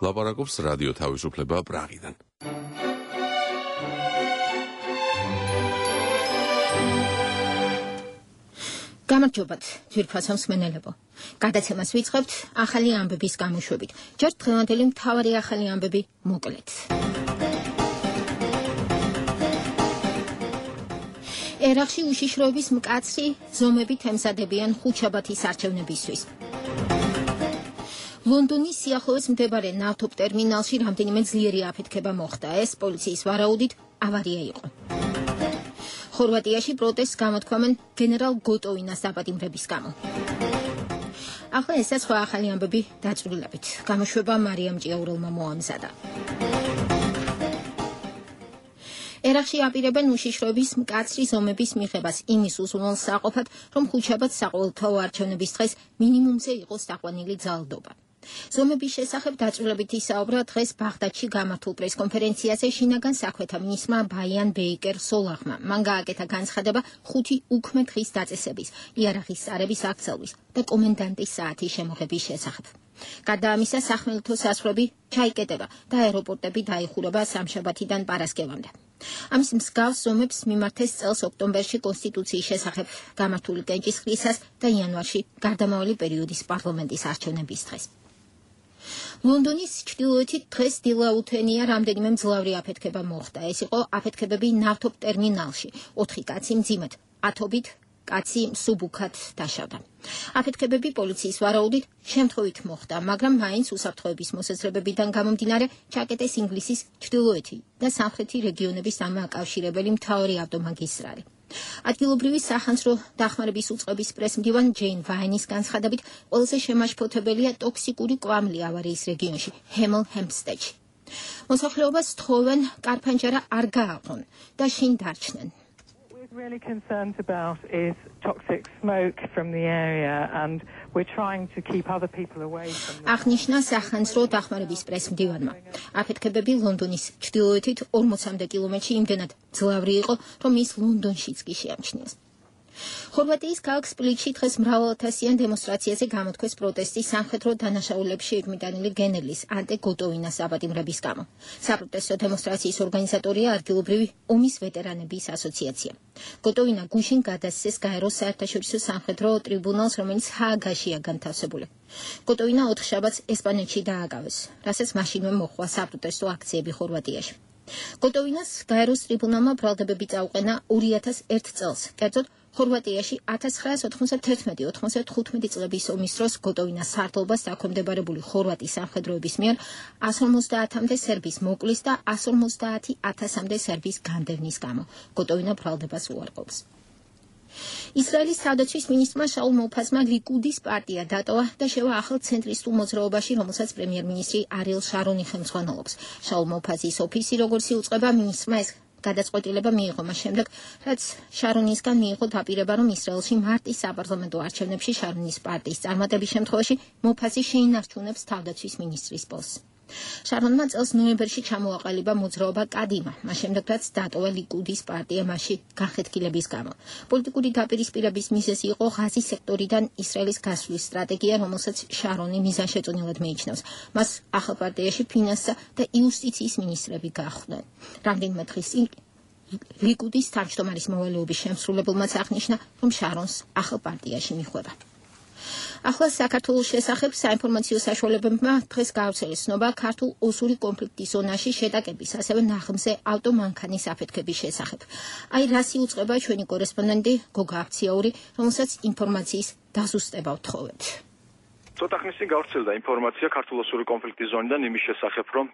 ლაპარაკობს რადიო თავისუფლება პრაღიდან. გამარჯობათ, ძვირფასო მსმენელებო. გადაცემას ვიწყებთ ახალი ამბების გამოშვებით. ჯერ დღევანდელი მთავარი ახალი ამბები მოკლედ. ერაყში უშიშროების მკაცრი ზომებით ემზადებიან ხუთშაბათის არჩევნებისთვის. ლონდონის სიახლოვეს მდებარე ნავთობ ტერმინალში რამდენიმე ძლიერი აფეთქება მოხდა. ეს პოლიციის ვარაუდით ავარია იყო. ხორვატიაში პროტესტს გამოთქვამენ გენერალ გოტოვინას დაპატიმრების გამო. ახლა ესა სხვა ახალი ამბები დაწვრილებით. გამოშვება მარიამ ჭიაურელმა მოამზადა. ერაყში აპირებენ უშიშროების მკაცრი ზომების მიღებას იმის უზრუნველსაყოფად, რომ ხუთშაბათს საყოველთაო არჩევნების დღეს მინიმუმზე იყოს დაყვანილი ძალადობა. ზომების შესახებ დაწვრილებით ისაუბრა დღეს ბაღდადში გამართულ პრესკონფერენციაზე შინაგან საქმეთა მინისტრმა ბაიან ბეიკერ სოლაღმა. მან გააკეთა განცხადება 5 უქმე დღის დაწესების, იარაღის წარების აქცელვის და კომენდანტის საათის შემოღების შესახებ. გარდა ამისა, სახმელეთო საზღვრები ჩაიკეტება და აეროპორტები დაიხურება სამშაბათიდან პარასკევამდე. ამის მსგავს ზომებს მიმართეს წელს ოქტომბერში კონსტიტუციის შესახებ გამართული კენჭისყრისას და იანვარში გარდამავალი პერიოდის პარლამენტის არჩევნების დღეს. ლონდონის ჩრდილოეთით დღეს დილაუთენია რამდენიმე მძლავრი აფეთქება მოხდა. ეს იყო აფეთქებები ნავთობ ტერმინალში. 4 კაცი მძიმედ, ათობით კაცი მსუბუქად დაშავდა. აფეთქებები პოლიციის ვარაუდით შემთხვევით მოხდა, მაგრამ მაინც უსაფრთხოების მოსაზრებებიდან გამომდინარე ჩაკეტეს ინგლისის ჩრდილოეთი და სამხრეთი რეგიონების დამაკავშირებელი მთავარი ავტომაგისტრალი. ადგილობრივი სახანძრო დახმარების უწყების პრესმდივან ჯეინ ვაინის განცხადებით, ყველაზე შემაშფოთებელია ტოქსიკური კვამლი ავარიის რეგიონში, ჰემელ ჰემპსტედში. მოსახლეობას თხოვენ კარფანჯარა არ გააყონ და შინ დარჩნენ. Really concerned about is toxic smoke from the area and we're trying to keep other people away from the აღნიშნა სახანძრო დახმარების პრესმდივანმა. აფეთქებები ლონდონის ჩრდილოეთით 40-მდე კილომეტრში იმდენად მძლავრი იყო, რომ ის ლონდონშიც კი შეამჩნიეს. ხორვატიის ქალაქ სპლიტში დღეს მრავალათასიან დემონსტრაციაზე გამოთქვეს პროტესტი სამხედრო დანაშაულებში ეკმიტანილი გენერლის ანტე გოტოვინას დაპატიმრების გამო. საპროტესტო დემონსტრაციის ორგანიზატორია ადგილობრივი ომის ვეტერანების ასოციაცია. გოტოვინა გუშინ გადასცეს გაეროს საერთაშორისო სამხედრო ტრიბუნალს, რომელიც ჰააგაშია განთავსებული. გოტოვინა 4 შაბათს ესპანეთში დააკავეს, რასაც მაშინვე მოჰყვა საპროტესტო აქციები ხორვატიაში. გოტოვინას გაეროს ტრიბუნალმა ბრალდებები წაუყენა 2001 წელს, კერძოდ ხორვატიაში 1991-95 წლების ომის დროს გოტოვინას სარდლობას დაქვემდებარებული ხორვატის სამხედროების მიერ 150-მდე სერბის მოკლის და 150,000-მდე სერბის განდევნის გამო. გოტოვინა ბრალდებას უარყოფს. ისრაელის თავდაცვის მინისტრმა შაულ მოფაზმა ლიკუდის პარტია დატოვა და შევა ახალ ცენტრისტულ მოძრაობაში, რომელსაც პრემიერ-მინისტრი არიელ შარონი ხელმძღვანელობს. შაულ მოფაზის ოფისი, როგორც იუწყება, მინისტრმა ეს გადაწყვეტილება მიიღო მას შემდეგ, რაც შარონისგან მიიღო დაპირება, რომ ისრაელში მარტის საპარლამენტო არჩევნებში შარონის პარტიის წარმატების შემთხვევაში მოფაზი შეინარჩუნებს თავდაცვის მინისტრის პოსტს. შარონმა წელს ნოემბერში ჩამოაყალიბა მოძრაობა კადიმა, მას შემდეგ რაც დატოვა ლიკუდის პარტია მასში განხეთქილების გამო. პოლიტიკური დაპირისპირების მიზეზი იყო ღაზის სექტორიდან ისრაელის გასვლის სტრატეგია, რომელსაც შარონი მიზანშეწონილად მიიჩნევს. მას ახალ პარტიაში ფინანსთა და იუსტიციის მინისტრები გაახვდნენ. რამდენიმე დღის წინ ლიკუდის თავმჯდომარის მოვალეობის შემსრულებელმაც აღნიშნა, რომ შარონს ახალ პარტიაში მიხვდება. ახლა საქართველოს შესახებ საინფორმაციო საშუალებებმა დღეს გაავრცელეს ცნობა ქართულ ოსური კონფლიქტის ზონაში შეტაკების, ასევე ნაღმზე ავტომანქანის აფეთქების შესახებ. აი რას იუწყება ჩვენი კორესპონდენტი გოგა აფციაური, რომელსაც ინფორმაციის დაზუსტება ვთხოვეთ. ცოტა ხნის წინ გავრცელდა ინფორმაცია ქართულ-ოსური კონფლიქტის ზონიდან იმის შესახებ, რომ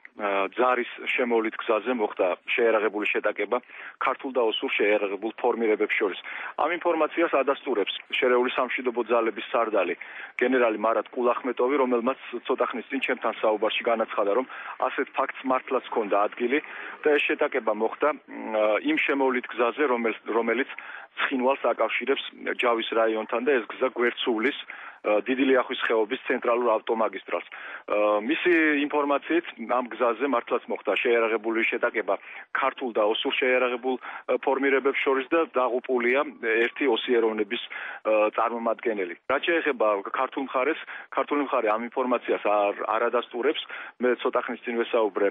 ძარის შემოვლით გზაზე მოხდა შეიარაღებული შეტაკება ქართულ და ოსურ შეიარაღებულ ფორმირებებს შორის. ამ ინფორმაციას ადასტურებს შერეული სამშვიდობო ძალების სარდალი გენერალი მარატ კულახმეტოვი, რომელმაც ცოტა ხნის წინ ჩემთან საუბარში განაცხადა, რომ ასეთ ფაქტს მართლაც ჰქონდა ადგილი და ეს შეტაკება მოხდა იმ შემოვლით გზაზე, რომელიც ცხინვალს აკავშირებს ჯავის რაიონთან და ეს გზა გვერდსულის დიდი ლიახვის ხეობის ხიდობის ცენტრალურ ავტომაგისტრალს. მისი ინფორმაციით ამ გზაზე მართლაც მოხდა შეიარაღებული შეტაკება ქართულ და ოსურ შეიარაღებულ ფორმირებებს შორის და დაღუპულია ერთი ოსიეროვნების წარმომადგენელი. რაც შეეხება ქართულ მხარეს, ქართული მხარე ამ ინფორმაციას არ ადასტურებს. მე ცოტა ხნის წინ ვესაუბრე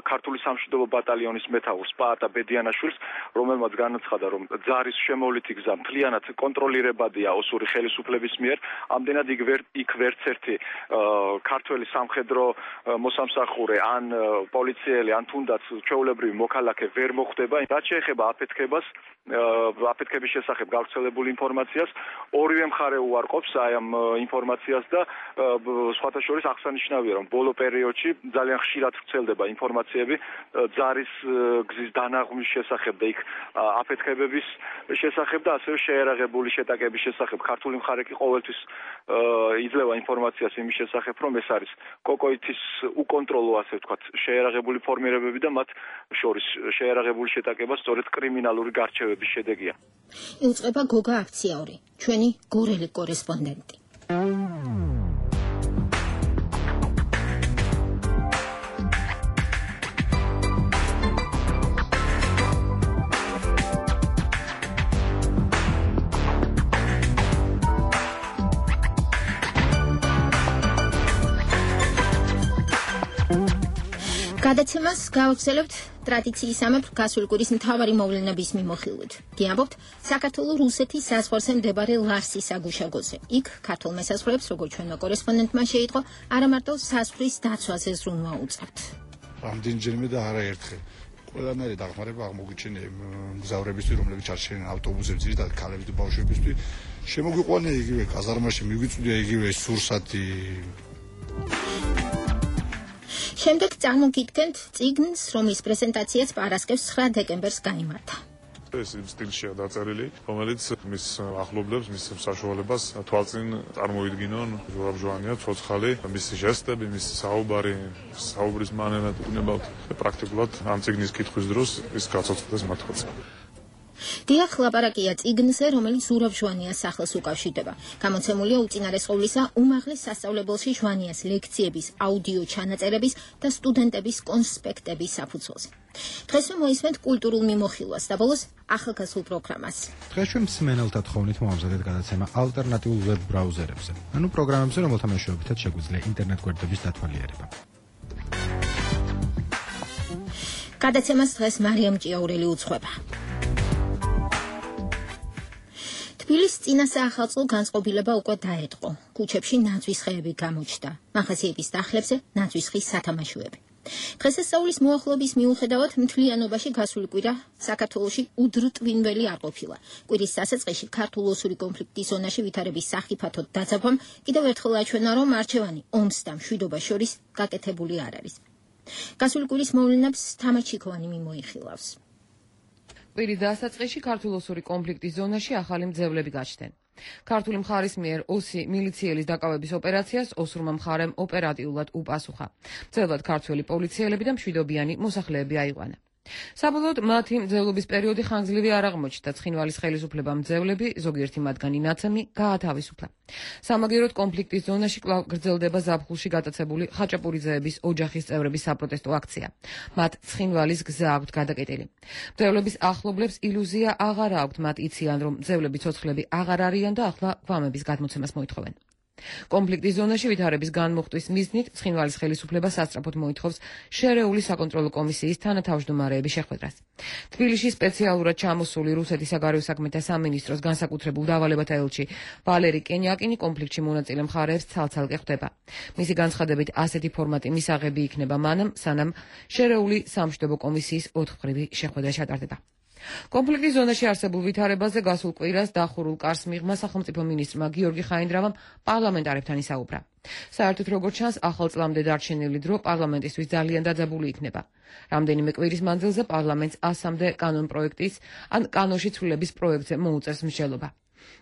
ქართული სამშვიდობო ბატალიონის მეთაურს პაატა ბედიანაშვილს, რომელმაც განაცხადა, რომ ძარის შემოვლითი გზა მთლიანად კონტროლირებადია ოსური ხელისუფლების მიერ. ამდენად იქ ვერც ერთი ქართველი სამხედრო მოსამსახურე ან პოლიციელი ან თუნდაც ჩვეულებრივი მოქალაქე ვერ მოხვდება. რაც შეეხება აფეთქების შესახებ გავრცელებული ინფორმაციას, ორივე მხარე უარყოფს აი ამ ინფორმაციას და სხვათა შორის აღსანიშნავია, რომ ბოლო პერიოდში ძალიან ხშირად ვრცელდება ინფორმაციები ძარის გზის დანაღმვის შესახებ და იქ აფეთქებების შესახებ და ასევე შეიარაღებული შეტაკების შესახებ. ქართული მხარე კი ყოველთვის იძლევა ინფორმაციას იმის შესახებ, რომ ეს არის კოკოითის უკონტროლო, ასე ვთქვათ, შეიარაღებული ფორმირებები და მათ შორის შეიარაღებული შეტაკება სწორედ კრიმინალური გარჩევების შედეგია. იუწყება გოგა აქციური, ჩვენი გორელი კორესპონდენტი. გადაცემას გავაგრძელებთ ტრადიციისამებრ გასული კვირის მთავარი მოვლენების მიმოხილვით. გიამბობთ საქართველოს რუსეთის საზღვარზე მდებარე ლარსის აგუშაგოზე. იქ ქართულ მესაზღვრეებს, როგორც ჩვენმა კორესპონდენტმა შეიტყო, არა მარტო საზღვრის დაცვაზე ზრუნვა უწევთ. რამდენჯერმე და არაერთხელ. ყველანაირი დახმარება აღმოგვიჩენია მგზავრებისთვის, რომლებიც არჩენენ ავტობუსებს, ძირითადად ქალების და ბავშვებისთვის. შემოგვიყვანია იგივე კაზარმაში, მიგვიწვია იგივე სურსათი. შემდეგ წარმოგიდგენთ წიგნს, რომლის პრეზენტაციაც პარასკევს 9 დეკემბერს გაიმართა. ეს იმ სტილშია დაწერილი, რომელიც მის ახლობლებს, მის საშუალებას თვალწინ წარმოიდგინონ ზურაბ ჟვანია, ცოცხალი, მისი ჟესტები, მისი საუბრის მანერა უნებავთ პრაქტიკულად ამ წიგნის კითხვის დროს ის გაცოცხლდეს მართლაც. დიახ, ლაპარაკია წიგნზე, რომელიც ზურაბ ჟვანიას სახელს უკავშირდება. გამოცემულია უწინარესყოვლისა უმაღლეს სასწავლებელში ჟვანიას ლექციების, აუდიო ჩანაწერების და სტუდენტების კონსპექტების საფუძველზე. დღეს მოისმენთ კულტურულ მიმოხილვას და ბოლოს ახალგაზრდულ პროგრამას. დღეს ჩვენ მსმენელთა თხოვნით მოამზადეთ გადაცემა ალტერნატიულ ვებ ბრაუზერებზე, ანუ პროგრამებზე, რომელთა მეშვეობითაც შეგვიძლია ინტერნეტ გვერდების დათვალიერება. გადაცემას დღეს მარიამ ჭიაურელი უძღვება. თბილისის წინასაახალწლო განწყობილება უკვე დაეტყო. ქუჩებში ნაძვის ხეები გამოჩნდა. მაღაზიების დახლებზე ნაძვის ხის სათამაშოები. დღესასწაულის მოახლოების მიუხედავად მთლიანობაში გასული კვირა საქართველოში უდრტვინველი არ ყოფილა. კვირის დასაწყისში ქართულ-ოსური კონფლიქტის ზონაში ვითარების სახიფათოდ დაძაბვამ კიდევ ერთხელ აჩვენა, რომ არჩევანი ომს და მშვიდობას შორის გაკეთებული არ არის. გასული კვირის მოვლენებს თამარ ჩიქოვანი მიმოიხილავს. კვირის დასაწყისში ქართულ-ოსური კონფლიქტის ზონაში ახალი მძევლები გაჩნდნენ. ქართული მხარის მიერ ოსი მილიციელის დაკავების ოპერაციას ოსურმა მხარემ ოპერატიულად უპასუხა. მძევლად ქართველი პოლიციელები და მშვიდობიანი მოსახლეები აიყვანა. საბოლოოდ მათი მძევლობის პერიოდი ხანგრძლივი არ აღმოჩნდა. ცხინვალის ხელისუფლებამ მძევლები, ზოგიერთი მათგანი ნაცემი, გაათავისუფლა. სამაგიეროდ კონფლიქტის ზონაში კვლავ გრძელდება ზაფხულში გატაცებული ხაჭაპურიძეების ოჯახის წევრების საპროტესტო აქცია. მათ ცხინვალის გზა აქვთ გადაკეტილი. მძევლების ახლობლებს ილუზია აღარ აქვთ, მათ იციან, რომ მძევლები ცოცხლები აღარ არიან და ახლა გვამების გადმოცემას მოითხოვენ. კონფლიქტის ზონაში ვითარების განმუხტვის მიზნით ცხინვალის ხელისუფლება სასწრაფოდ მოითხოვს შერეული საკონტროლო კომისიის თანათავმჯდომარეების შეხვედრას. თბილისში სპეციალურად ჩამოსული რუსეთის საგარეო საქმეთა სამინისტროს განსაკუთრებულ დავალებათა ელჩი ვალერი კენიაკინი კონფლიქტში მონაწილე მხარეებს ცალ-ცალკე ხვდება. მისი განცხადებით ასეთი ფორმატი მისაღები იქნება მანამ, სანამ შერეული სამშვიდობო კომისიის 4-მხრივი შეხვედრა ჩატარდება. კონფლიქტის ზონაში არსებულ ვითარებაზე გასულ კვირას დახურულ კარს მიღმა სახელმწიფო მინისტრმა გიორგი ხაინდრავამ პარლამენტარებთან ისაუბრა. საერთოდ როგორც ჩანს, ახალ წლამდე დარჩენილი დრო პარლამენტისთვის ძალიან დაძაბული იქნება. რამდენიმე კვირის მანძილზე პარლამენტს 100-მდე კანონპროექტის ან კანონში ცვლილების პროექტზე მოუწევს მსჯელობა.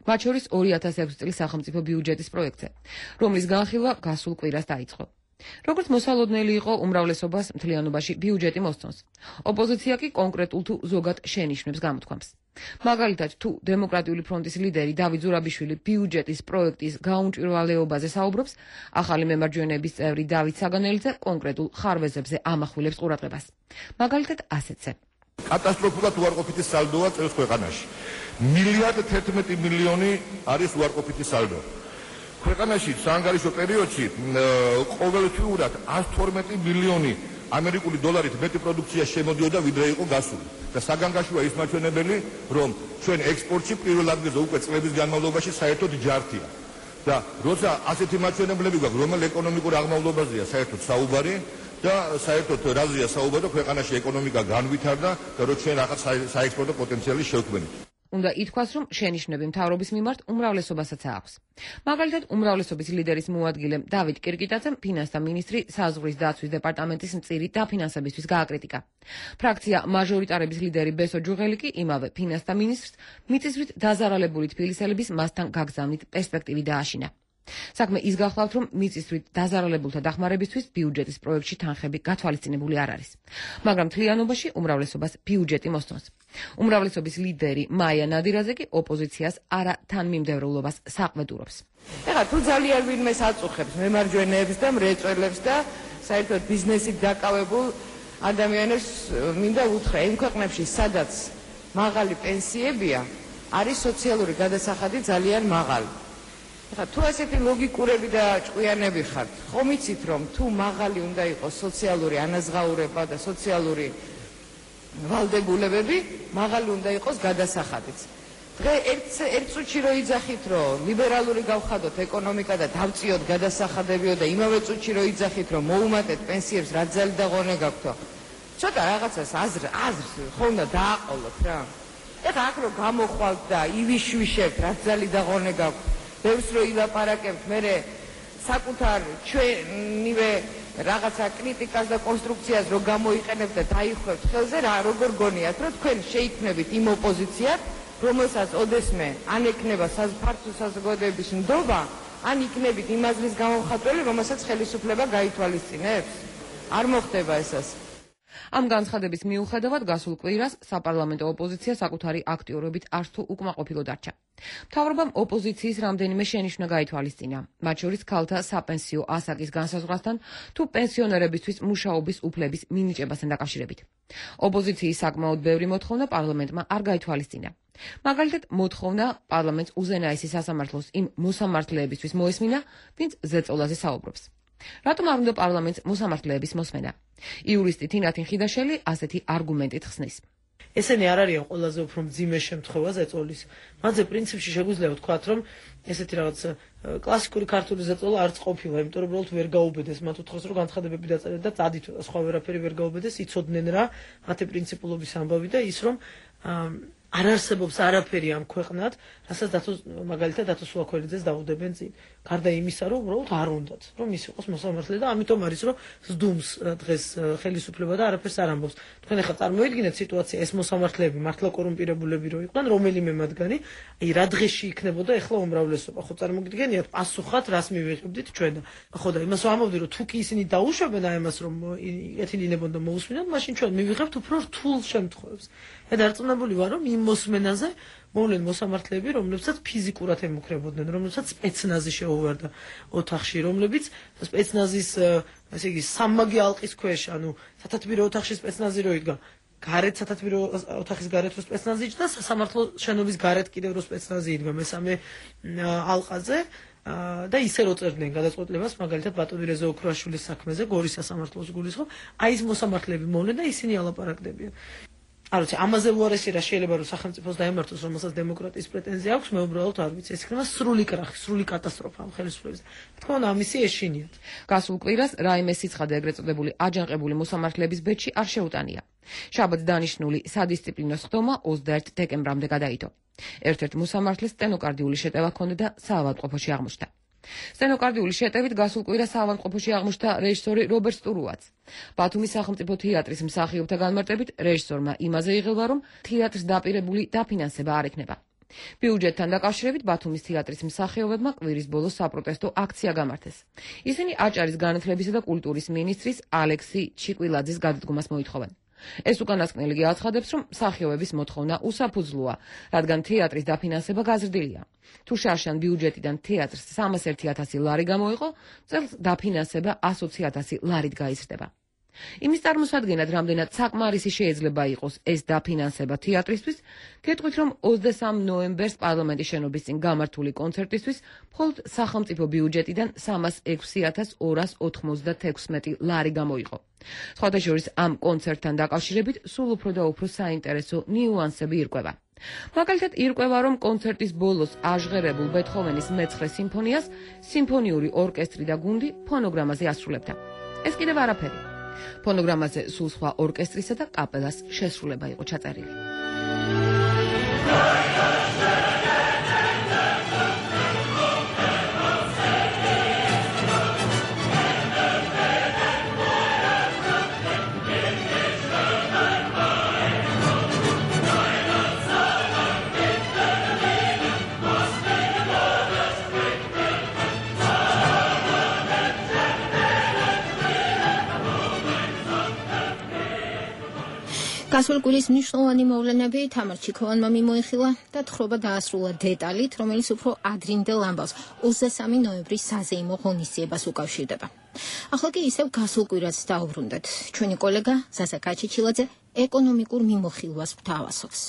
მათ შორის 2006 წლის სახელმწიფო ბიუჯეტის პროექტზე, რომლის განხილვა გასულ კვირას დაიწყო. როგორც მოსალოდნელი იყო, უმრავლესობას მთლიანობაში ბიუჯეტი მოსწონს. ოპოზიცია კი კონკრეტულ თუ ზოგად შენიშვნებს გამოთქვამს. მაგალითად, თუ დემოკრატიული ფრონტის ლიდერი დავით ზურაბიშვილი ბიუჯეტის პროექტის გაუმჭვირვალეობაზე საუბრობს, ახალი მემარჯვენეების წევრი დავით საგანელიძე კონკრეტულ ხარვეზებზე ამახვილებს ყურადღებას. მაგალითად, ასეთზე. კატასტროფულად უარყოფითი სალდოა წელს ქვეყანაში. 1.11 მილიონი არის უარყოფითი სალდო. ქვეყანაში საანგარიშო პერიოდში ყოველთვიურად 112 მილიონი ამერიკული დოლარით მეტი პროდუქცია შემოდიოდა, ვიდრე იყო გასული. და საგანგაშოა ის მაჩვენებელი, რომ ჩვენ ექსპორტში პირველ ადგილზე უკვე წლების განმავლობაში საერთოდ ჯართია. და როცა ასეთი მაჩვენებლები გვაქვს, რომელ ეკონომიკურ აღმავლობაზეა საერთოდ საუბარი და საერთოდ რაზეა საუბარი, ქვეყანაში ეკონომიკა განვითარდა და რომ ჩვენ რაღაც საექსპორტო პოტენციალი შევქმნით. უნდა ითქვას, რომ შენიშვნები მთავრობის მიმართ უმრავლესობასაც აქვს. მაგალითად, უმრავლესობის ლიდერის მოადგილე დავით კირკიტაძემ ფინანსთა მინისტრი საზღვრის დაცვის დეპარტამენტის მწირი დაფინანსებისთვის გააკრიტიკა. ფრაქცია მაჟორიტარების ლიდერი ბესო ჯუღელი კი იმავე ფინანსთა მინისტრს მიწისძვრით დაზარალებული თბილისელების მასთან გაგზავნით პერსპექტივი დააშინა. საქმე ის გახლავთ, რომ მიწისძვრით დაზარალებულთა დახმარებისთვის ბიუჯეტის პროექტში თანხები გათვალისწინებული არ არის. მაგრამ მთლიანობაში უმრავლესობას ბიუჯეტი მოსწონს. უმრავლესობის ლიდერი მაია ნადირაძე კი ოპოზიციას არა თანმიმდევრულობას საყმედურობს. ეხლა თუ ძალიან ვინმეს აწუხებს მემარჯვენეებს და მრეწველებს და საერთოდ ბიზნესით დაკავებულ ადამიანებს მინდა უთხრა, იმ ქვეყნებში, სადაც მაღალი პენსიებია, არის სოციალური გადასახადი ძალიან მაღალი. თუ ასეთი ლოგიკურები და ჭკვიანები ხართ, ხომ იცით, რომ თუ მაღალი უნდა იყოს სოციალური ანაზღაურება და სოციალური ვალდებულებები, მაღალი უნდა იყოს გადასახადიც. დღე ერთ წუთში რო იძახით, რომ ლიბერალური გავხადოთ ეკონომიკა და დავწიოთ გადასახადებიო და იმავე წუთში რო იძახით, რომ მოუმატეთ პენსიებს, რა ძალი და ღონე გაქვთ, ცოტა რაღაცას აზრს ხო უნდა დააყოლოთ რა. ეხლა აქ რო გამოხვალთ და ივიშვიშებთ, რა ძალი და ღონე გაქვთ, ბევრს რო ილაპარაკებთ, მერე საკუთარ ჩვენივე რაღაცა კრიტიკას და კონსტრუქციას რო გამოიყენებთ და დაიხვევთ ხელზე, რა როგორ გონიათ, რომ თქვენ შეიქმნებით იმ ოპოზიციად, რომელსაც ოდესმე ან ექნება ფართო საზოგადოების ნდობა, ან იქნებით იმ აზრის გამომხატველი, რომელსაც ხელისუფლება გაითვალისწინებს. არ მოხდება ესას. ამ განცხადების მიუხედავად გასულ კვირას საპარლამენტო ოპოზიცია საკუთარი აქტიურობით არც თუ უკმაყოფილო დარჩა. მთავრობამ ოპოზიციის რამდენიმე შენიშვნა გაითვალისწინა, მათ შორის ქალთა საპენსიო ასაკის განსაზღვრასთან თუ პენსიონერებისთვის მუშაობის უფლების მინიჭებასთან დაკავშირებით. ოპოზიციის საკმაოდ ბევრი მოთხოვნა პარლამენტმა არ გაითვალისწინა. მაგალითად, მოთხოვნა პარლამენტს უზენაესი სასამართლოს იმ მოსამართლეებისთვის მოესმინა, ვინც ზეწოლაზე საუბრობს. რატომ არ უნდა პარლამენტს მოსამართლეების მოსმენა? იურისტი თინათინ ხიდაშელი ასეთი არგუმენტით ხსნის. ესენი არ არიან ყველაზე უფრო მძიმე შემთხვევა ზეწოლის. მათზე პრინციპში შეგვიძლია ვთქვათ, რომ ესეთი რაღაც კლასიკური ქართული ზეწოლა არც ყოფილა, იმიტომ რომ უბრალოდ ვერ გაუბედეს. მათ უთხრეს, რომ განცხადებები დაწერეთ და წადით და სხვა ვერაფერი ვერ გაუბედეს, იცოდნენ რა მათი პრინციპულობის ამბავი და ის რომ არ არსებობს არაფერი ამ ქვეყნად, რასაც მაგალითად დათო სულაქველიძეს დაუდებენ წინ. გარდა იმისა, რომ უბრალოდ არ უნდათ, რომ ის იყოს მოსამართლე და ამიტომ არის, რომ ზდუმს დღეს ხელისუფლება და არაფერს არ ამბობს. თქვენ ახლა წარმოიდგინეთ სიტუაცია, ეს მოსამართლეები მართლა კორუმპირებულები რო იყვნენ, რომელიმე მათგანი, აი რა დღეში იქნებოდა ახლა უმრავლესობა. ხო წარმოგიდგენიათ, პასუხად რას მივიღებდით ჩვენ და ხო და იმას ვამბობდი, რომ თუ კი ისინი დაუშვებენ აი ამას, რომ ეთილინებონ და მოусმინოთ, მაშინ ჩვენ მივიღებთ უფრო რთულ შემთხვევებს. და დარწმუნებული ვარ, რომ იმ მოსმენაზე მოვლენ მოსამართლეები, რომლებსაც ფიზიკურად ემუქრებოდნენ, რომლებსაც სპეცნაზი შეუვარდა ოთახში, რომლებიც სპეცნაზის, ესე იგი, სამმაგი ალყის ქვეშ, ანუ სათათბირო ოთახში სპეცნაზი რო იდგა, გარეთ სათათბირო ოთახის გარეთ რო სპეცნაზი იჯდა, სასამართლო შენობის გარეთ კიდევ რო სპეცნაზი იდგა მესამე ალყაზე. და ისე რო წერდნენ გადაწყვეტილებას, მაგალითად ბატონი რეზო ოქროაშვილის საქმეზე, გორის სასამართლოს გულისხმობ, აი ეს მოსამართლეები მოვლენ და ისინი ალაპარაკდებიან. არ ვიცი, ამაზე უარესი რა შეიძლება რომ სახელმწიფოს დაემართოს, რომელსაც დემოკრატიის პრეტენზია აქვს, მე უბრალოდ არ ვიცი, ეს იქნება სრული კრახი, სრული კატასტროფა ამ ხელისუფლების. თქო, ამისი ეშინიათ. გასულ კვირას რაიმე სიცხადე ეგრეთ წოდებული აჯანყებული მოსამართლეების ბედში არ შეუტანია. შაბათს დანიშნული სადისციპლინო სხდომა 21 დეკემბრამდე გადაიდო. ერთ-ერთ მოსამართლეს სტენოკარდიული შეტევა ჰქონდა და საავადმყოფოში აღმოჩნდა. სტენოკარდიული შეტევით გასულ კვირას საავადმყოფოში აღმოჩნდა რეჟისორი რობერტ სტურუაც. ბათუმის სახელმწიფო თეატრის მსახიობთა განმარტებით რეჟისორმა იმაზე იღება, რომ თეატრს დაპირებული დაფინანსება არ ექნება. ბიუჯეტთან დაკავშირებით ბათუმის თეატრის მსახიობებმა კვირის ბოლოს საპროტესტო აქცია გამართეს. ისინი აჭარის განათლებისა და კულტურის მინისტრის ალექსი ჩიკვილაძის გადადგომას მოითხოვენ. ეს უკანასკნელი აცხადებს, რომ მსახიობების მოთხოვნა უსაფუძვლოა, რადგან თეატრის დაფინანსება გაზრდილია. თუ შარშან ბიუჯეტიდან თეატრს 301,000 ლარი გამოიყო, წელს დაფინანსება 120,000 ლარით გაიზრდება. იმის წარმოსადგენად, რამდენად საკმარისი შეიძლება იყოს ეს დაფინანსება თეატრისთვის, გეტყვით, რომ 23 ნოემბერს პარლამენტის შენობის წინ გამართული კონცერტისთვის მხოლოდ სახელმწიფო ბიუჯეტიდან 306,296 ლარი გამოიყო. სხვათა შორის ამ კონცერტთან დაკავშირებით სულ უფრო და უფრო საინტერესო ნიუანსები ირკვევა. მაგალითად, ირკვევა, რომ კონცერტის ბოლოს აჟღერებულ ბეთჰოვენის მე-9 სიმფონიას სიმფონიური ორკესტრი და გუნდი ფონოგრამაზე ასრულებდა. ეს კიდევ არაფერი. ფონოგრამაზე სულ სხვა ორკესტრისა და კაპელას შესრულება იყო ჩაწერილი. გასულ კვირის მნიშვნელოვანი მოვლენები თამარ ჩიქოვანმა მიმოიხილა და თხრობა დაასრულა დეტალით, რომელიც უფრო ადრინდელ ამბავს 23 ნოემბრის საზეიმო ღონისძიებას უკავშირდება. ახლა კი ისევ გასულ კვირას დავუბრუნდეთ. ჩვენი კოლეგა ზაზა კაჩიჩილაძე ეკონომიკურ მიმოხილვას გვთავაზობს.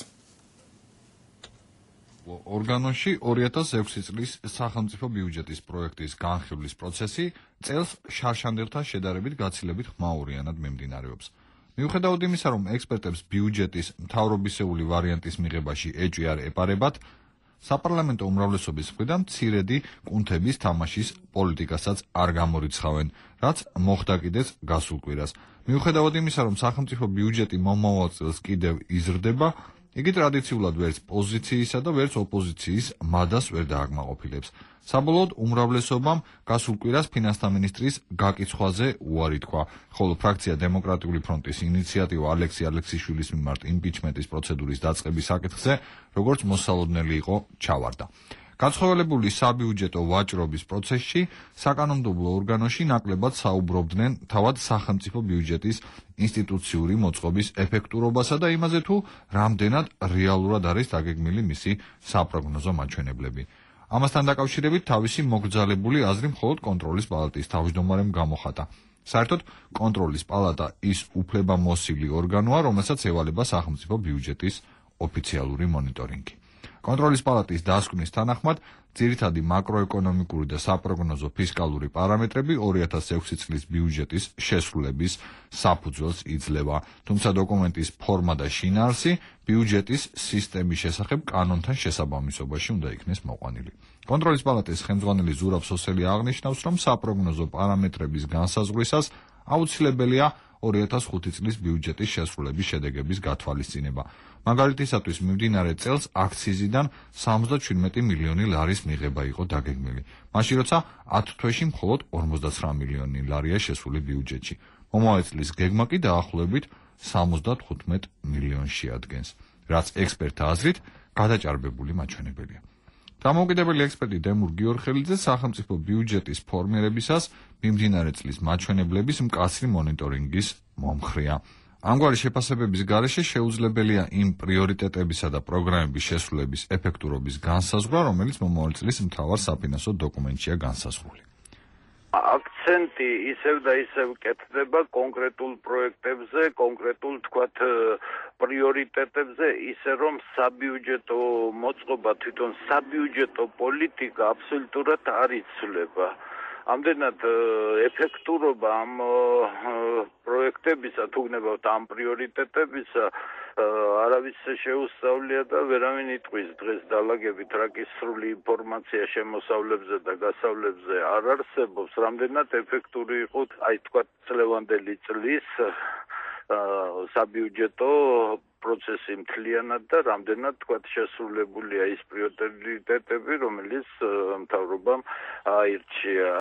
ორგანოში 2006 წლის სახელმწიფო ბიუჯეტის პროექტის განხილვის პროცესი წელს შარშანდელთან შედარებით გაცილებით ხმაურიანად მიმდინარეობს. მიუხედავად იმისა, რომ ექსპერტებს ბიუჯეტის მთავრობისეული ვარიანტის მიღებაში ეჭვი არ ეპარებათ, საპარლამენტო უმრავლესობის მხრიდან მცირედი კუნთების თამაშის პოლიტიკასაც არ გამორიცხავენ, რაც მოხდა კიდეც გასულ კვირას. მიუხედავად იმისა, რომ სახელმწიფო ბიუჯეტი მომავალ წელს კიდევ იზრდება, იგი ტრადიციულად ვერც პოზიციისა და ვერც ოპოზიციის მადას ვერ დააკმაყოფილებს. საბოლოოდ უმრავლესობამ გასულ კვირას ფინანსთა მინისტრის გაკიცხვაზე უარი თქვა, ხოლო ფრაქცია დემოკრატიული ფრონტის ინიციატივა ალექსი ალექსიშვილის მიმართ იმპიჩმენტის პროცედურის დაწყების საკითხზე, როგორც მოსალოდნელი იყო, ჩავარდა. განსხვავებული საბიუჯეტო ვაჭრობის პროცესში საკანონმდებლო ორგანოში ნაკლებად საუბრობდნენ თავად სახელმწიფო ბიუჯეტის ინსტიტუციური მოწყობის ეფექტურობასა და იმაზე, თუ რამდენად რეალურად არის დაგეგმილი მისი საპროგნოზო მაჩვენებლები. ამასთან დაკავშირებით თავისი მოგრძალებული აზრი მხოლოდ კონტროლის პალატის თავმჯდომარემ გამოხატა. საერთოდ კონტროლის პალატა ის უფლებამოსილი ორგანოა, რომელსაც ევალება სახელმწიფო ბიუჯეტის ოფიციალური მონიტორინგი. კონტროლის პალატის დასკვნის თანახმად, ძირითადი მაკროეკონომიკური და საპროგნოზო ფისკალური პარამეტრები 2006 წლის ბიუჯეტის შესრულების საფუძველს იძლევა, თუმცა დოკუმენტის ფორმა და შინაარსი ბიუჯეტის სისტემის შესახებ კანონთან შესაბამისობაში უნდა იქნეს მოყვანილი. კონტროლის პალატის ხელმძღვანელი ზურაბ სოსელი აღნიშნავს, რომ საპროგნოზო პარამეტრების განსაზღვრისას აუცილებელია 2005 წლის ბიუჯეტის შესრულების შედეგების გათვალისწინება. მაგალითისათვის, მიმდინარე წელს აქციზიდან 77 მილიონი ლარის მიღება იყო დაგეგმილი, მაშინ როცა 10 თვეში მხოლოდ 59 მილიონი ლარია შესული ბიუჯეტში. მომავალ წლის გეგმა კი დაახლოებით 75 მილიონში ადგენს, რაც ექსპერტთა აზრით გადაჭარბებული მაჩვენებელია. დამოუკიდებელი ექსპერტი დემურ გიორხელიძე სახელმწიფო ბიუჯეტის ფორმირებისას მიმდინარე წლის მაჩვენებლების მკაცრი მონიტორინგის მომხრეა. ამგვარი შეფასებების გარეშე შეუძლებელია იმ პრიორიტეტებისა და პროგრამების შესრულების ეფექტურობის განსაზღვრა, რომელიც მომავალ წლის მთავარ საფინანსო დოკუმენტშია განსაზღვრული. აქცენტი ისევ და ისევ კეთდება კონკრეტულ პროექტებზე, კონკრეტულ თქვათ პრიორიტეტებზე, ისე რომ საბიუჯეტო მოწყობა, თვითონ საბიუჯეტო პოლიტიკა აბსოლუტურად არ იცვლება. ამდენად ეფექტურობა ამ პროექტებისა, თუ გნებავთ ამ პრიორიტეტებისა, არავის შეუსწავლია და ვერავინ იტყვის დღეს დალაგებით რა კი სრული ინფორმაცია შემოსავლებზე და გასავლებზე არ არსებობს, რამდენად ეფექტური იყო, აი თქვა წლევანდელი წლის საბიუჯეტო პროცესი მთლიანად და რამდენად თქვა შესრულებულია ის პრიორიტეტები, რომელიც მთავრობამ აირჩია.